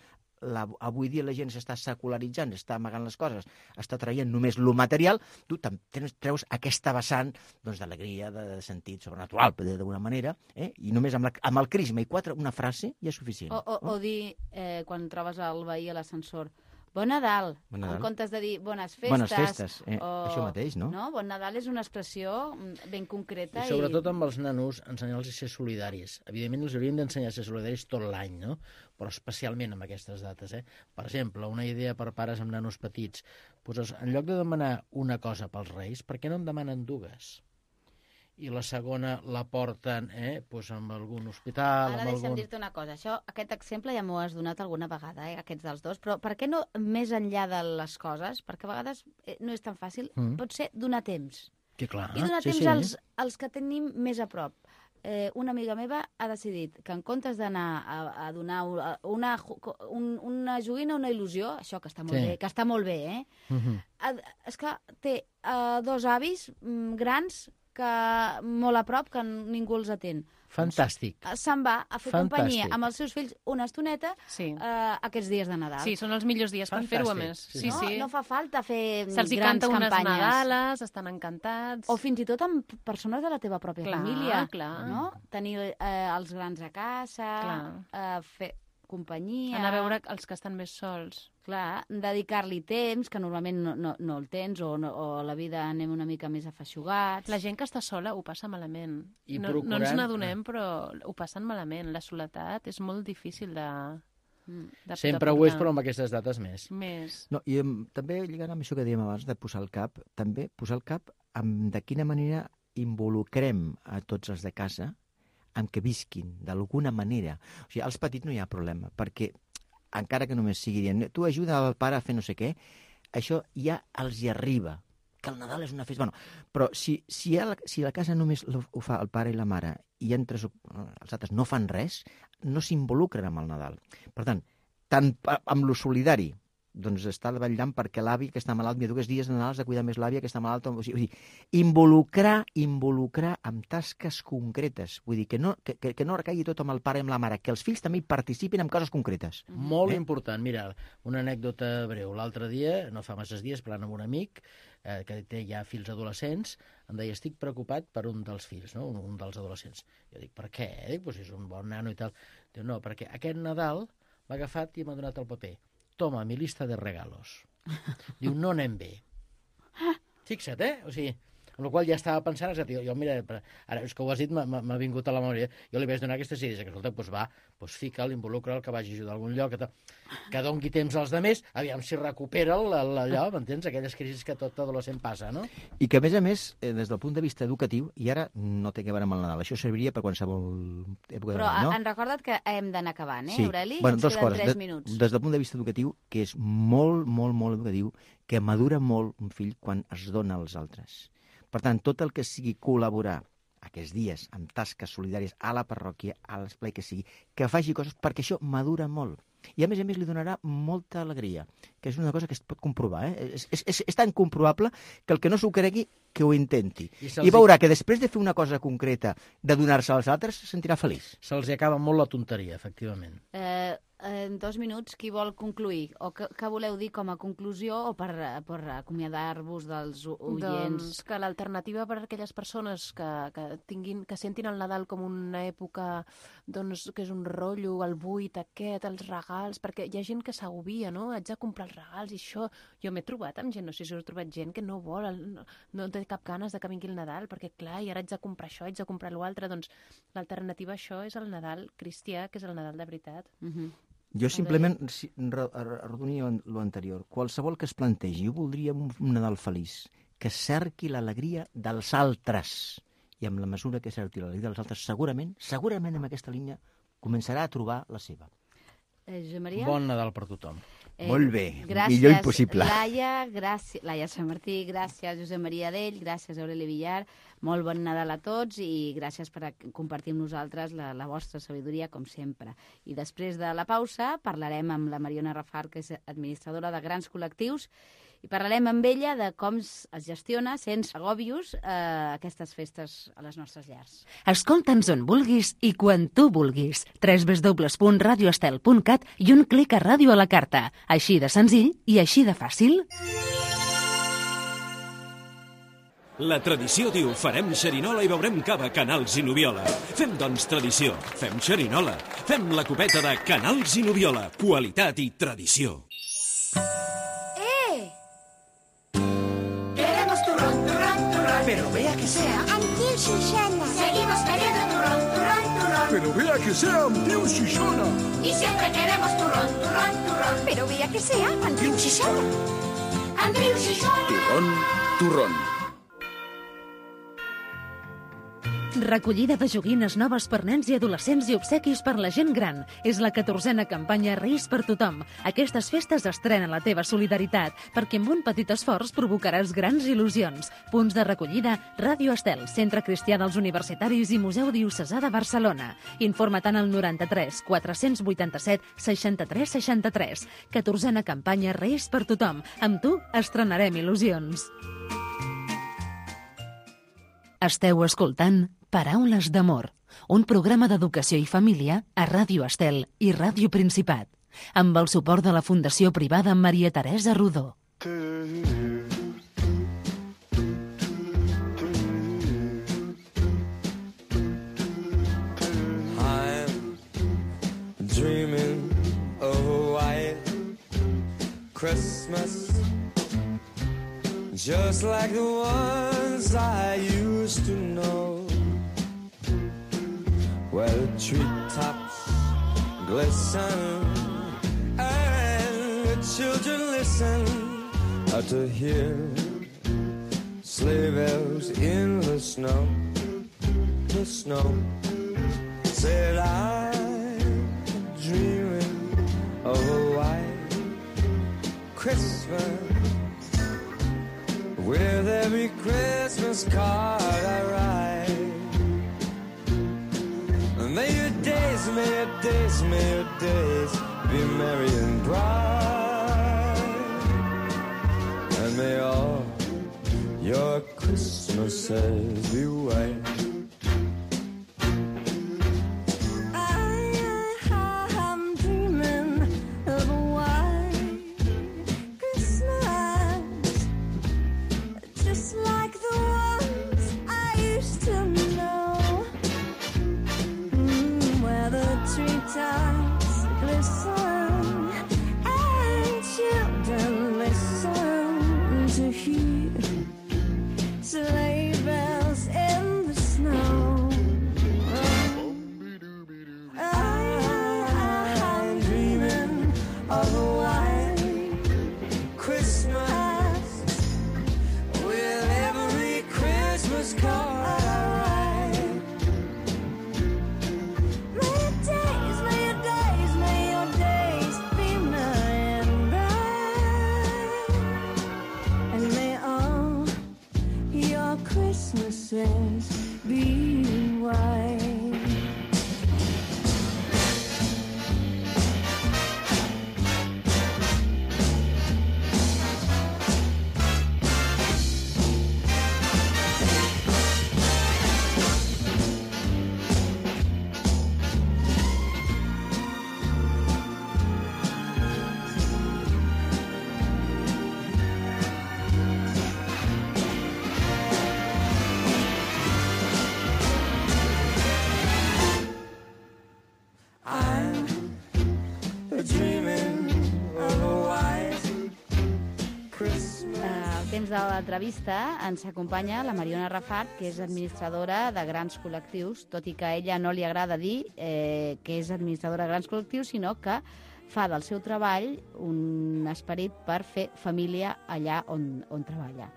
la, avui dia la gent s'està secularitzant, està amagant les coses, està traient només lo material, tu tam- tens, treus aquesta vessant doncs, d'alegria, de, de sentit sobrenatural, per dir d'alguna manera, eh? I només amb, la, amb el crisma i quatre, una frase ja és suficient. O, o, o dir, eh, quan trobes el veí a l'ascensor, Bon Nadal, Bon Nadal. en comptes de dir bones festes. Bones festes, eh, o... això mateix, no? no? Bon Nadal és una expressió mm, ben concreta. I sobretot amb els nanos, ensenyar-los a ser solidaris. Evidentment, els hauríem d'ensenyar a ser solidaris tot l'any, no? Però especialment amb aquestes dates, eh? Per exemple, una idea per pares amb nanos petits. Pues, en lloc de demanar una cosa pels Reis, per què no en demanen dues? I la segona la porten eh, pues amb algun hospital... Ara amb deixa'm algun... dir-te una cosa. Això, aquest exemple ja m'ho has donat alguna vegada, eh, aquests dels dos, però per què no més enllà de les coses? Perquè a vegades eh, no és tan fàcil. Mm. Pot ser donar temps. Que clar, I donar sí, temps sí. als, als que tenim més a prop. Eh, una amiga meva ha decidit que en comptes d'anar a, a donar una, un, una joguina, una il·lusió, això que està molt Sí. bé, que està molt bé, eh? Mhm. És que té uh, dos avis mm, grans que molt a prop, que ningú els atén. Fantàstic. Eh, Se'n va a fer Fantàstic. companyia amb els seus fills una estoneta Sí. eh, aquests dies de Nadal. Sí, són els millors dies per fer-ho, a Fantàstic. més. Sí, Sí, no, sí. no fa falta fer Se'ls hi grans canta unes campanyes. Nadales, estan encantats. O fins i tot amb persones de la teva pròpia Clar, família. clar. No? Tenir eh, els grans a casa, Clar. eh, fer companyia... Anar a veure els que estan més sols. Clar, dedicar-li temps, que normalment no, no, no el tens, o, no, o a la vida anem una mica més afeixugats. La gent que està sola ho passa malament. I no, no ens procurant- n'adonem, però ho passen malament. La soledat és molt difícil de, De, Sempre de ho és, però amb aquestes dates més. Més. No, i um, també lligant amb això que dèiem abans de posar el cap, també posar el cap amb de quina manera involucrem a tots els de casa amb que visquin, d'alguna manera. O sigui, als petits no hi ha problema, perquè encara que només sigui dient tu ajuda al pare a fer no sé què, això ja els hi arriba, que el Nadal és una festa. Bueno, però si, si, la, si la casa només ho, ho fa el pare i la mare i entre els altres no fan res, no s'involucren amb el Nadal. Per tant, tant amb lo solidari, doncs està vetllant perquè l'avi que està malalt, mira, dos dies de Nadal has de cuidar més l'àvia que està malalta. O sigui, involucrar, involucrar amb tasques concretes. Vull dir, que no, que, que no recaigui tot amb el pare i amb la mare, que els fills també hi participin en coses concretes. Molt eh? important. Mira, una anècdota breu. L'altre dia, no fa masses dies, parlant amb un amic eh, que té ja fills adolescents, em deia, estic preocupat per un dels fills, no? un, un dels adolescents. Jo dic, per què? Dic, pues és un bon nano i tal. Diu, no, perquè aquest Nadal m'ha agafat i m'ha donat el paper. Toma, mi lista de regalos. Diu, no anem bé. Fixa't, eh? O sigui, amb la qual ja estava pensant, jo, jo mira, ara és que ho has dit, m'ha vingut a la memòria, jo li vaig donar aquestes idees, que escolta, doncs va, doncs fica'l, involucra'l, que vagi a ajudar a algun lloc, que, que doni temps als altres, aviam si recupera allò, m'entens? Aquelles crisis que tot adolescent passa, no? I que, a més a més, des del punt de vista educatiu, i ara no té que veure amb el Nadal, això serviria per qualsevol època de Però l'any, no? han recordat que hem d'anar acabant, eh, sí. Aureli? Bueno, Ens dues queden coses. tres De, minuts. des del punt de vista educatiu, que és molt, molt, molt educatiu, que madura molt un fill quan es dona als altres. Per tant, tot el que sigui col·laborar aquests dies amb tasques solidàries a la parròquia, a l'esplai que sigui, que faci coses perquè això madura molt. I a més a més li donarà molta alegria, que és una cosa que es pot comprovar. Eh? És, és, és, és tan comprovable que el que no s'ho cregui, que ho intenti. I, I veurà que després de fer una cosa concreta, de donar-se als altres, se sentirà feliç. Se'ls acaba molt la tonteria, efectivament. Eh, en dos minuts, qui vol concluir? O que, que voleu dir com a conclusió o per, per acomiadar-vos dels oients? Doncs que l'alternativa per a aquelles persones que, que, tinguin, que sentin el Nadal com una època doncs, que és un rotllo, el buit aquest, els regals, perquè hi ha gent que s'agobia, no? Haig de comprar els regals i això. Jo m'he trobat amb gent, no sé si us he trobat gent que no vol, no, no té cap ganes de que vingui el Nadal, perquè clar, i ara haig de comprar això, haig de comprar l'altre, doncs l'alternativa a això és el Nadal cristià, que és el Nadal de veritat. Uh-huh. Jo simplement si, arrodonia l'anterior. Qualsevol que es plantegi, jo voldria un, un Nadal feliç, que cerqui l'alegria dels altres. I amb la mesura que cerqui l'alegria dels altres, segurament, segurament en aquesta línia, començarà a trobar la seva. Eh, Josep Maria? Bon Nadal per tothom. Eh, Molt bé, gràcies, millor impossible. Laia, gràcies, Laia Sant Martí, gràcies Josep Maria Dell, gràcies Aureli Villar, molt bon Nadal a tots i gràcies per compartir amb nosaltres la, la vostra sabidoria, com sempre. I després de la pausa parlarem amb la Mariona Rafar, que és administradora de grans col·lectius, i parlarem amb ella de com es gestiona sense agòbios eh, aquestes festes a les nostres llars. Escolta'ns on vulguis i quan tu vulguis. w w w punt radio estel punt cat i un clic a ràdio a la carta. Així de senzill i així de fàcil. La tradició diu farem xerinola i beurem cava Canals i Nubiola. Fem, doncs, tradició. Fem xerinola. Fem la copeta de Canals i Nubiola. Qualitat i tradició. Pero vea que sea amb Tiu Xixona. Seguimos queriendo turrón, turrón, turrón. Pero vea que sea amb Tiu Xixona. Y siempre queremos turrón, turrón, turrón. Pero vea que sea amb Tiu Xixona. Amb Tiu Xixona. Turrón, turrón. Recollida de joguines noves per nens i adolescents i obsequis per la gent gran. És la catorzena campanya Reis per tothom. Aquestes festes estrenen la teva solidaritat, perquè amb un petit esforç provocaràs grans il·lusions. Punts de recollida, Ràdio Estel, Centre Cristià dels Universitaris i Museu Diocesà de Barcelona. Informa-te'n al noranta-tres quatre-cents vuitanta-set seixanta-tres seixanta-tres. catorzena campanya Reis per tothom. Amb tu estrenarem il·lusions. Esteu escoltant Paraules d'amor, un programa d'educació i família a Ràdio Estel i Ràdio Principat, amb el suport de la Fundació Privada Maria Teresa Rodó. I'm dreaming of a white Christmas, just like the ones I used to know, where the treetops glisten children listen uh, to hear sleigh bells in the snow, the snow. Said I'm dreaming of a white Christmas, with every Christmas card I write. May your days, may your days, may your days be merry and bright, and may all your Christmases be white. Temps de l'entrevista ens acompanya la Mariona Rafart, que és administradora de grans col·lectius, tot i que a ella no li agrada dir eh, que és administradora de grans col·lectius, sinó que fa del seu treball un esperit per fer família allà on, on treballa.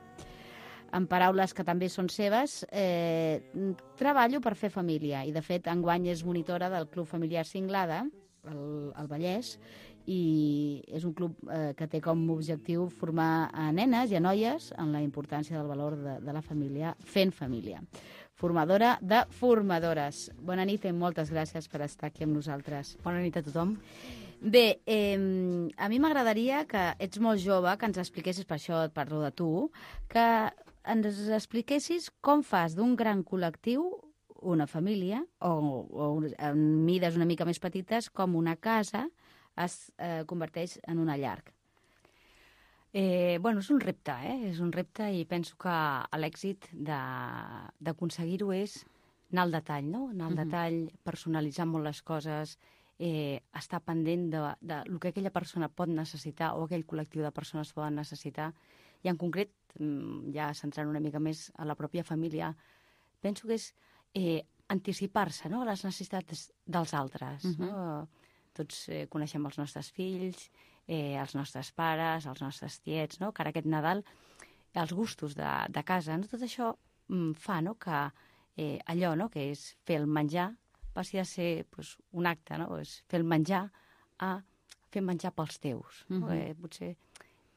En paraules que també són seves, eh, treballo per fer família, i de fet enguany és monitora del Club Familiar Cinglada, al, al Vallès, i és un club eh, que té com a objectiu formar a nenes i a noies en la importància del valor de, de la família, fent família. Formadora de formadores. Bona nit i moltes gràcies per estar aquí amb nosaltres. Bona nit a tothom. Bé, eh, a mi m'agradaria que ets molt jove, que ens expliquessis, per això et parlo de tu, que ens expliquessis com fas d'un gran col·lectiu una família, o, o en mides una mica més petites, com una casa es eh, converteix en una llar. Eh, bueno, és un repte, eh? És un repte i penso que l'èxit d'aconseguir-ho és anar al detall, no? Anar al uh-huh. detall, personalitzar molt les coses, eh, estar pendent de, de lo que aquella persona pot necessitar o aquell col·lectiu de persones poden necessitar. I en concret, ja centrant una mica més a la pròpia família, penso que és eh, anticipar-se, no?, a les necessitats dels altres, uh-huh. no? Tots eh, coneixem els nostres fills, eh, els nostres pares, els nostres tiets, no? Que ara aquest Nadal, els gustos de, de casa, no? Tot això mm, fa, no?, que eh, allò, no?, que és fer el menjar, passi a ser pues, un acte, no?, és fer el menjar a fer menjar pels teus. Uh-huh. No? Eh, potser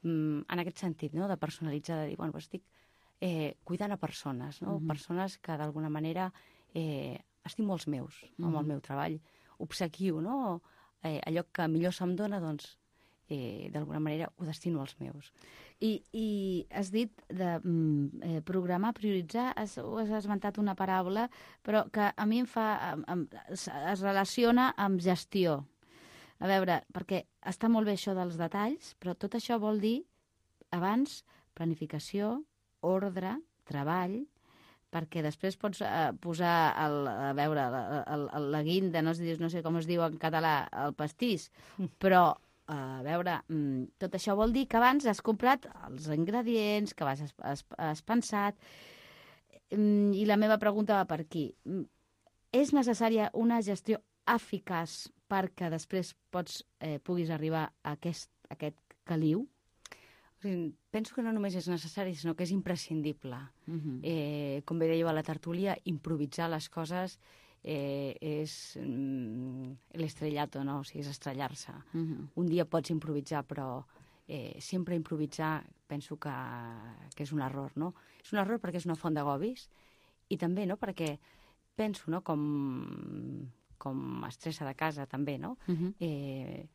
mm, en aquest sentit, no?, de personalitzar, de dir, bueno, pues, estic eh, cuidant a persones, no?, uh-huh. persones que d'alguna manera eh, estimo els meus, uh-huh. amb el meu treball, obsequio, no?, Eh, allò que millor se'm dona, doncs, eh, d'alguna manera ho destino als meus. I, i has dit de mm, eh, programar, prioritzar, has, has esmentat una paraula, però que a mi em fa, em, em, es, es relaciona amb gestió. A veure, perquè està molt bé això dels detalls, però tot això vol dir, abans, planificació, ordre, treball, perquè després pots eh, posar, el, a veure, la, el, el, la guinda, no, no sé com es diu en català, el pastís, però, eh, a veure, mm, tot això vol dir que abans has comprat els ingredients, que vas, has, has, has pensat, mm, i la meva pregunta va per aquí. És necessària una gestió eficaç perquè després pots, eh, puguis arribar a aquest, aquest caliu. O sigui, penso que no només és necessari, sinó que és imprescindible. Uh -huh. eh, com bé dèieu a la tertúlia, improvisar les coses eh, és mm, l'estrellato, no? O sigui, és estrellar-se. Uh -huh. Un dia pots improvisar, però eh, sempre improvisar penso que, que és un error, no? És un error perquè és una font d'agobis i també, no?, perquè penso, no?, com, com estressa de casa, també, no? Uh -huh. eh,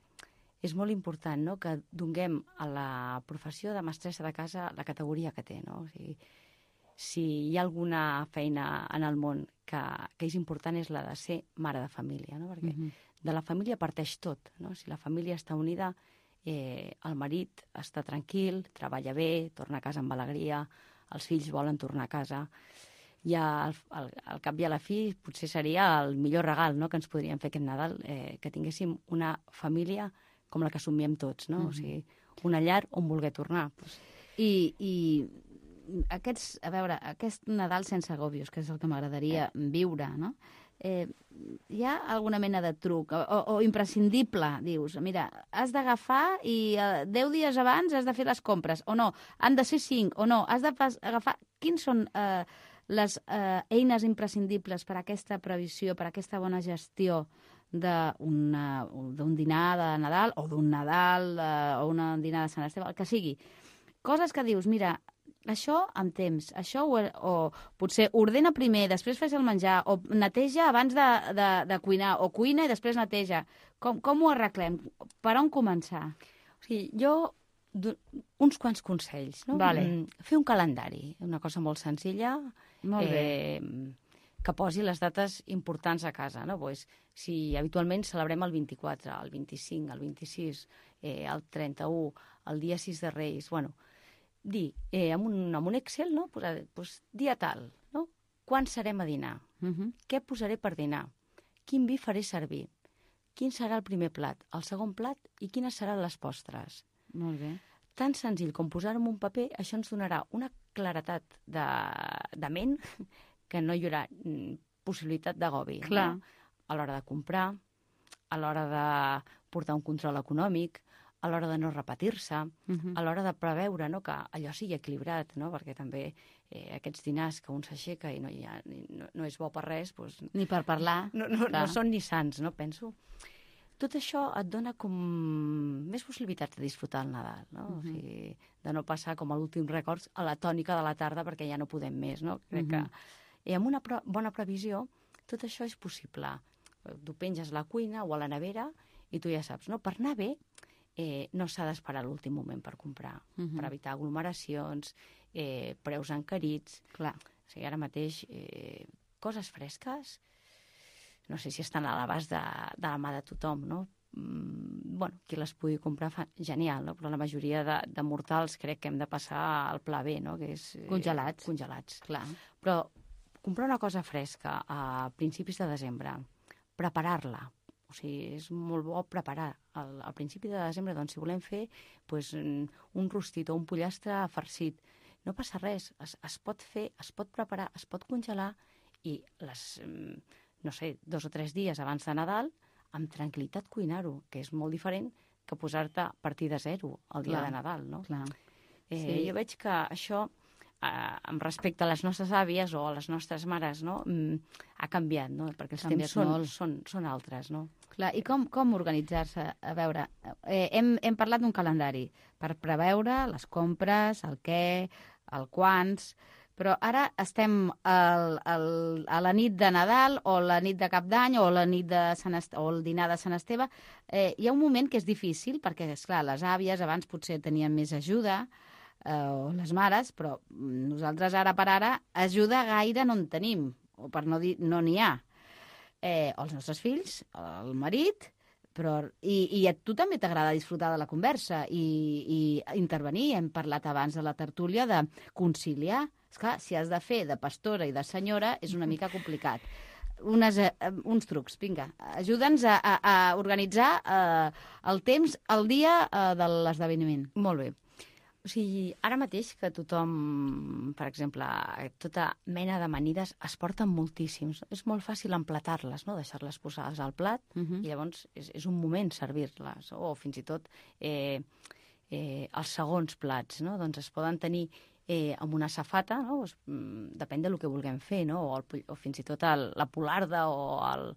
és molt important, no?, que donem a la professió de mestressa de casa la categoria que té, no? O sigui, si hi ha alguna feina en el món que, que és important és la de ser mare de família, no? Perquè uh-huh. de la família parteix tot, no? Si la família està unida, eh, el marit està tranquil, treballa bé, torna a casa amb alegria, els fills volen tornar a casa. I al, al, al cap i a la fi potser seria el millor regal, no?, que ens podríem fer aquest Nadal, eh, que tinguéssim una família com la que somiem tots, no? Uh-huh. O sigui, una llar on voler tornar. Pues. I, i aquests, a veure, aquest Nadal sense agòbios, que és el que m'agradaria eh. viure, no? Eh, hi ha alguna mena de truc o, o imprescindible, dius, mira, has d'agafar i eh, deu dies abans has de fer les compres, o no, han de ser cinc, o no, has d'agafar... Quins són eh, les eh, eines imprescindibles per a aquesta previsió, per a aquesta bona gestió d'un dinar de Nadal o d'un Nadal eh, o un dinar de Sant Esteve, el que sigui. Coses que dius, mira, això amb temps, això o, o potser ordena primer, després fes el menjar, o neteja abans de, de, de cuinar, o cuina i després neteja. Com, com ho arreglem? Per on començar? O sigui, jo, uns quants consells, no? Vale. Fer un calendari, una cosa molt senzilla. Molt bé. Eh, que posi les dates importants a casa, no? Pues, si habitualment celebrem el vint-i-quatre, el vint-i-cinc, el vint-i-sis, eh, el trenta-u, el dia sis de Reis, bueno, dir, eh, amb, un, amb un Excel, no?, posar, pues, dia tal, no? Quan serem a dinar? Uh-huh. Què posaré per dinar? Quin vi faré servir? Quin serà el primer plat, el segon plat i quines seran les postres? Molt bé. Tan senzill com posar-ho en un paper, això ens donarà una claretat de, de ment que no hi haurà possibilitat d'agobi. Clar. No? A l'hora de comprar, a l'hora de portar un control econòmic, a l'hora de no repetir-se, uh-huh. a l'hora de preveure, no?, que allò sigui equilibrat, no?, perquè també eh, aquests dinars que un s'aixeca i no, hi ha, no, no és bo per res... Doncs, ni per parlar. No, no, no són ni sants, no?, penso. Tot això et dona com més possibilitats de disfrutar el Nadal, no? Uh-huh. O sigui, de no passar com a l'últim record a la tònica de la tarda perquè ja no podem més, no? Crec uh-huh. que amb una pre- bona previsió tot això és possible. Tu penges a la cuina o a la nevera i tu ja saps, no? Per anar bé eh, no s'ha d'esperar l'últim moment per comprar, uh-huh. per evitar aglomeracions, eh, preus encarits. Clar. O sigui, ara mateix eh, coses fresques no sé si estan a l'abast de, de la mà de tothom, no? Mm, bueno, qui les pugui comprar fa genial, no? Però la majoria de, de mortals crec que hem de passar al pla B, no? Que és, eh, congelats. Congelats. Clar. Però comprar una cosa fresca a principis de desembre, preparar-la, o sigui, és molt bo preparar. Al, al principi de desembre, doncs, si volem fer pues, un rostit o un pollastre farcit, no passa res, es, es pot fer, es pot preparar, es pot congelar i les... no sé, dos o tres dies abans de Nadal, amb tranquil·litat cuinar-ho, que és molt diferent que posar-te a partir de zero el dia Clar. de Nadal, no? Clar. Eh, Sí. Jo veig que això, eh, amb respecte a les nostres àvies o a les nostres mares, no? Mm, ha canviat, no? Perquè els Canviat temps són, molt. són, són altres, no? Clar, i com, com organitzar-se? A veure, eh, hem, hem parlat d'un calendari per preveure les compres, el què, el quants, però ara estem al, al, a la nit de Nadal o la nit de Cap d'Any o la nit de Sant Est o el dinar de Sant Esteve. Eh, hi ha un moment que és difícil perquè, esclar, les àvies abans potser tenien més ajuda, eh, o les mares, però nosaltres ara per ara ajuda gaire no en tenim, o per no dir no n'hi ha. Eh, o els nostres fills, el marit, però, i, i a tu també t'agrada disfrutar de la conversa i, i intervenir. Hem parlat abans de la tertúlia de conciliar. Esclar, si has de fer de pastora i de senyora és una mica complicat. Unes, eh, uns trucs, vinga, ajuda'ns a, a, a organitzar eh, el temps, el dia eh, de l'esdeveniment. Molt bé. O sigui, ara mateix que tothom, per exemple, tota mena d'amanides es porten moltíssims. És molt fàcil emplatar-les, no? Deixar-les posades al plat, uh-huh. i llavors és, és un moment servir-les. O fins i tot eh, eh, els segons plats, no? Doncs es poden tenir eh, amb una safata, no? Pues, mm, depèn del que vulguem fer, no? O, el, o fins i tot el, la polarda o el,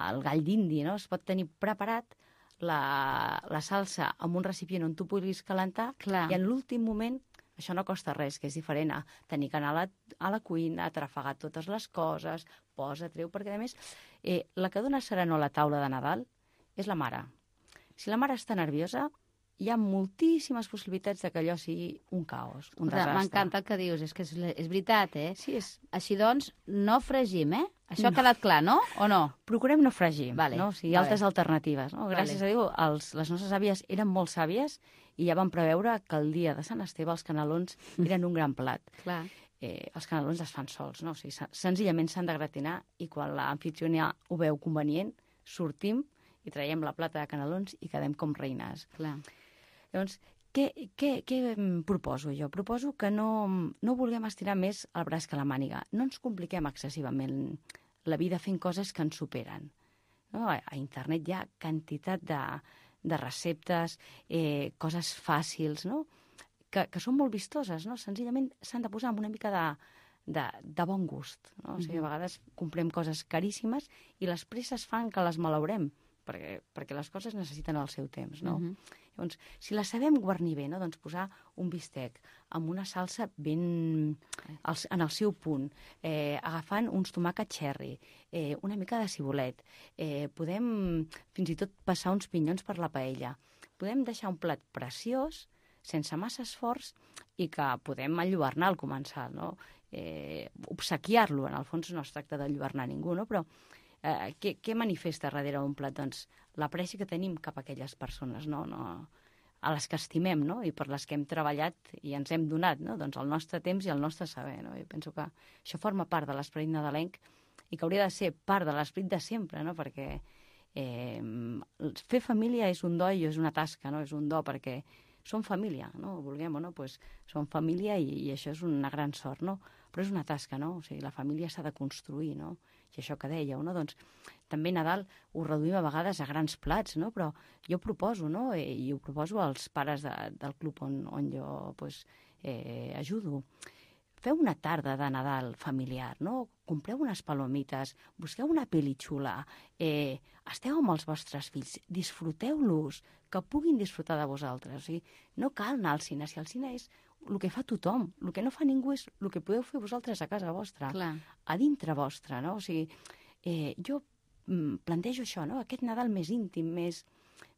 el gall d'indi, no? Es pot tenir preparat la, la salsa amb un recipient on tu puguis calentar. Clar. I en l'últim moment això no costa res, que és diferent a tenir que anar a la, a la cuina, trafegar totes les coses, posa, treu, perquè a més eh, la que dona serenor a la taula de Nadal és la mare. Si la mare està nerviosa, hi ha moltíssimes possibilitats de que allò sigui un caos, un desastre. M'encanta el que dius, és que és, és veritat, eh? Sí, és... Així doncs, no fregim, eh? Això no. Ha quedat clar, no? O no? Procurem no fregir, vale. no? O sigui, hi ha vale. altres alternatives, no? Gràcies vale. a Déu, els, les nostres àvies eren molt sàvies i ja van preveure que el dia de Sant Esteve els canelons eren un gran plat. Clar. Eh, els canelons es fan sols, no? O sigui, senzillament s'han de gratinar i quan l'anfitriona ho veu convenient, sortim i traiem la plata de canelons i quedem com reines. Clar. Llavors, què, què, què proposo jo? Proposo que no, no vulguem estirar més el braç que la màniga. No ens compliquem excessivament la vida fent coses que ens superen. No? A, a internet hi ha quantitat de, de receptes, eh, coses fàcils, no? que, que són molt vistoses. No? Senzillament s'han de posar amb una mica de, de, de bon gust. No? O sigui, a vegades comprem coses caríssimes i les presses fan que les malaurem, perquè, perquè les coses necessiten el seu temps, no? Uh -huh. Llavors, si la sabem guarnir bé, no? Doncs posar un bistec amb una salsa ben en el seu punt, eh, agafant uns tomàquets cherry, eh, una mica de cibulet, eh, podem fins i tot passar uns pinyons per la paella. Podem deixar un plat preciós, sense massa esforç, i que podem enlluernar al començar, no? Eh, obsequiar-lo, en el fons no es tracta d'enlluernar ningú, no? Però Eh, què, què manifesta darrere un plat? Doncs l'apreci que tenim cap a aquelles persones, no? No, a les que estimem, no? I per les que hem treballat i ens hem donat, no? Doncs el nostre temps i el nostre saber, no? Jo penso que això forma part de l'esperit nadalenc i que hauria de ser part de l'esperit de sempre, no? Perquè eh, fer família és un do i és una tasca, no? És un do perquè som família, no? Vulguem o no, doncs som família i, i això és una gran sort, no? Però és una tasca, no? O sigui, la família s'ha de construir, no? I això que dèieu, no? Doncs també Nadal ho reduïm a vegades a grans plats, no? Però jo proposo, no? I ho proposo als pares de, del club on, on jo pues, eh, ajudo. Feu una tarda de Nadal familiar, no? Compreu unes palomites, busqueu una pel·li xula, eh, esteu amb els vostres fills, disfruteu-los, que puguin disfrutar de vosaltres. O sigui, no cal anar al cine, si el cine és el que fa tothom, el que no fa ningú és el que podeu fer vosaltres a casa vostra, Clar. a dintre vostra, no? O sigui, eh, jo mm, plantejo això, no? Aquest Nadal més íntim, més,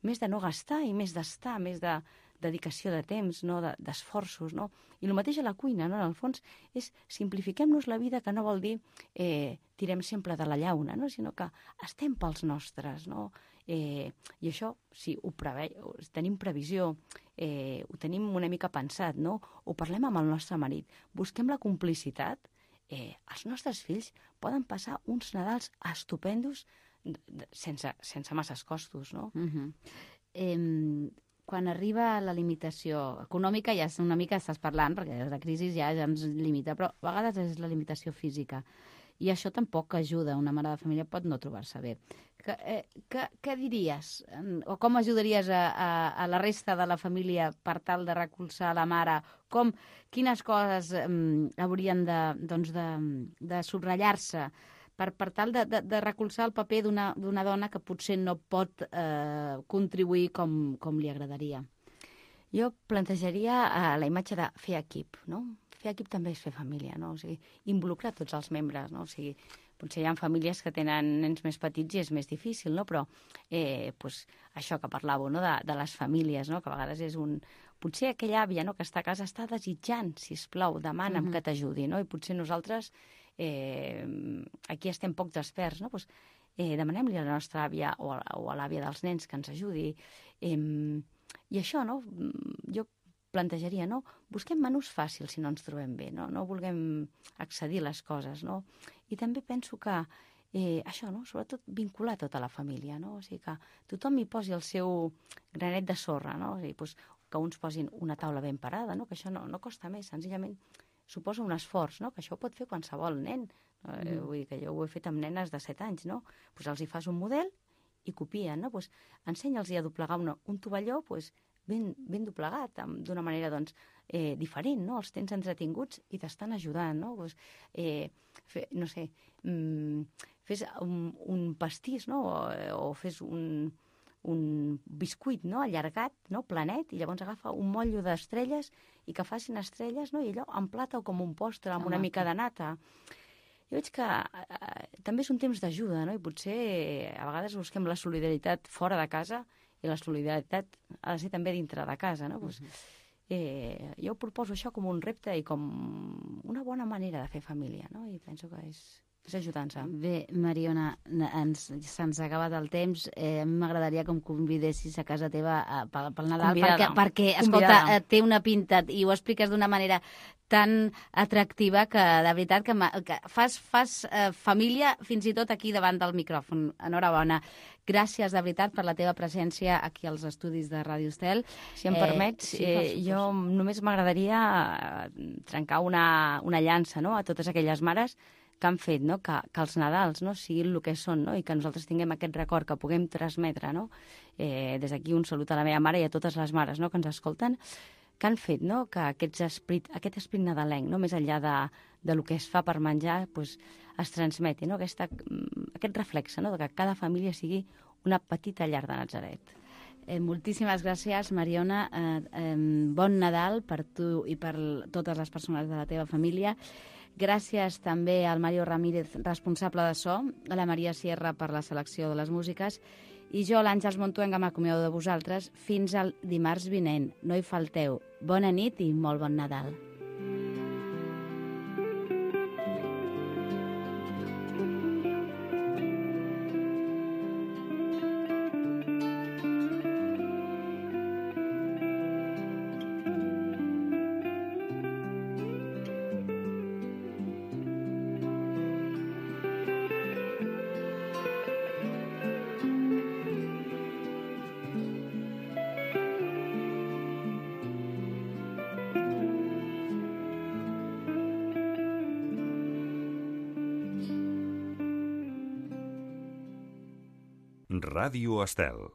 més de no gastar i més d'estar, més de dedicació de temps, no? de, d'esforços, no? I el mateix a la cuina, no? En el fons, és simplifiquem-nos la vida, que no vol dir eh, tirem sempre de la llauna, no? Sinó que estem pels nostres, no? Eh, I això, si ho preve... tenim previsió, eh, ho tenim una mica pensat, no? Ho parlem amb el nostre marit, busquem la complicitat, eh, els nostres fills poden passar uns Nadals estupendos sense, sense masses costos, no? Uh -huh. eh, quan arriba la limitació econòmica, ja una mica estàs parlant, perquè la crisi ja, ja ens limita, però a vegades és la limitació física. I això tampoc ajuda. Una mare de família pot no trobar-se bé. Que, eh, que, què diries? O com ajudaries a, a, a la resta de la família per tal de recolzar la mare? Com, quines coses um, haurien de, doncs de, de subratllar-se per, per tal de, de, de recolzar el paper d'una, d'una dona que potser no pot eh, contribuir com, com li agradaria? Jo plantejaria uh, la imatge de fer equip, no? Fer equip també és fer família, no? O sigui, involucrar tots els membres, no? O sigui, potser hi ha famílies que tenen nens més petits i és més difícil, no? Però eh, pues, això que parlàveu, no? De, de les famílies, no? Que a vegades és un... Potser aquella àvia, no? Que està a casa està desitjant, sisplau, demana'm uh-huh. que t'ajudi, no? I potser nosaltres eh, aquí estem poc desperts, no? Pues, eh, demanem-li a la nostra àvia o a, o a l'àvia dels nens que ens ajudi. Eh, I això, no? Jo plantejaria, no? Busquem menús fàcils si no ens trobem bé, no? No vulguem accedir les coses, no? I també penso que eh, això, no? Sobretot vincular tota la família, no? O sigui que tothom hi posi el seu granet de sorra, no? O sigui, doncs, que uns posin una taula ben parada, no? Que això no, no costa més, senzillament suposa un esforç, no? Que això ho pot fer qualsevol nen. Eh, mm. Vull dir que jo ho he fet amb nenes de set anys, no? Doncs els hi fas un model i copien, no? Doncs ensenya'ls a doblegar una, un tovalló, doncs ben, ben doblegat, amb- d'una manera doncs, eh, diferent, no? Els tens entretinguts i t'estan ajudant, no? Pues, eh, fe, no sé, mm, fes un, un pastís, no? O, o fes un, un biscuit, no? Allargat, no? Planet, i llavors agafa un motllo d'estrelles i que facin estrelles, no? I allò en plata o com un postre, amb una Home, mica de nata. Jo veig que eh, també és un temps d'ajuda, no? I potser eh, a vegades busquem la solidaritat fora de casa i la solidaritat ha de ser també dintre de casa, no? Pues, eh, jo proposo això com un repte i com una bona manera de fer família, no? I penso que és, és ajudant-se. Bé, Mariona, ens, se'ns ha acabat el temps. Eh, a mi m'agradaria que em convidessis a casa teva a, pel, pel Nadal, Convidada. perquè, perquè escolta, Convidada. eh, té una pinta i ho expliques d'una manera tan atractiva que, de veritat, que, ma- que fas, fas eh, família fins i tot aquí davant del micròfon. Enhorabona. Gràcies, de veritat, per la teva presència aquí als estudis de Ràdio Estel. Si em Eh, permets, sí, per eh, supost. jo només m'agradaria eh, trencar una, una llança, no?, a totes aquelles mares que han fet, no?, que, que els Nadals, no?, siguin el que són, no?, i que nosaltres tinguem aquest record que puguem transmetre, no?, eh, des d'aquí un salut a la meva mare i a totes les mares, no?, que ens escolten, que han fet, no?, que aquests esprit, aquest esprit nadalenc, no?, més enllà de, de lo que es fa per menjar, pues, es transmeti, no?, aquesta, mm, aquest reflexe, no?, de que cada família sigui una petita llar de Natzaret. Eh, moltíssimes gràcies, Mariona. Eh, eh, bon Nadal per tu i per l- totes les persones de la teva família. Gràcies també al Mario Ramírez, responsable de so, a la Maria Sierra per la selecció de les músiques, i jo, l'Àngels Montuenga, m'acomiado de vosaltres fins al dimarts vinent. No hi falteu. Bona nit i molt bon Nadal. Ràdio Estel.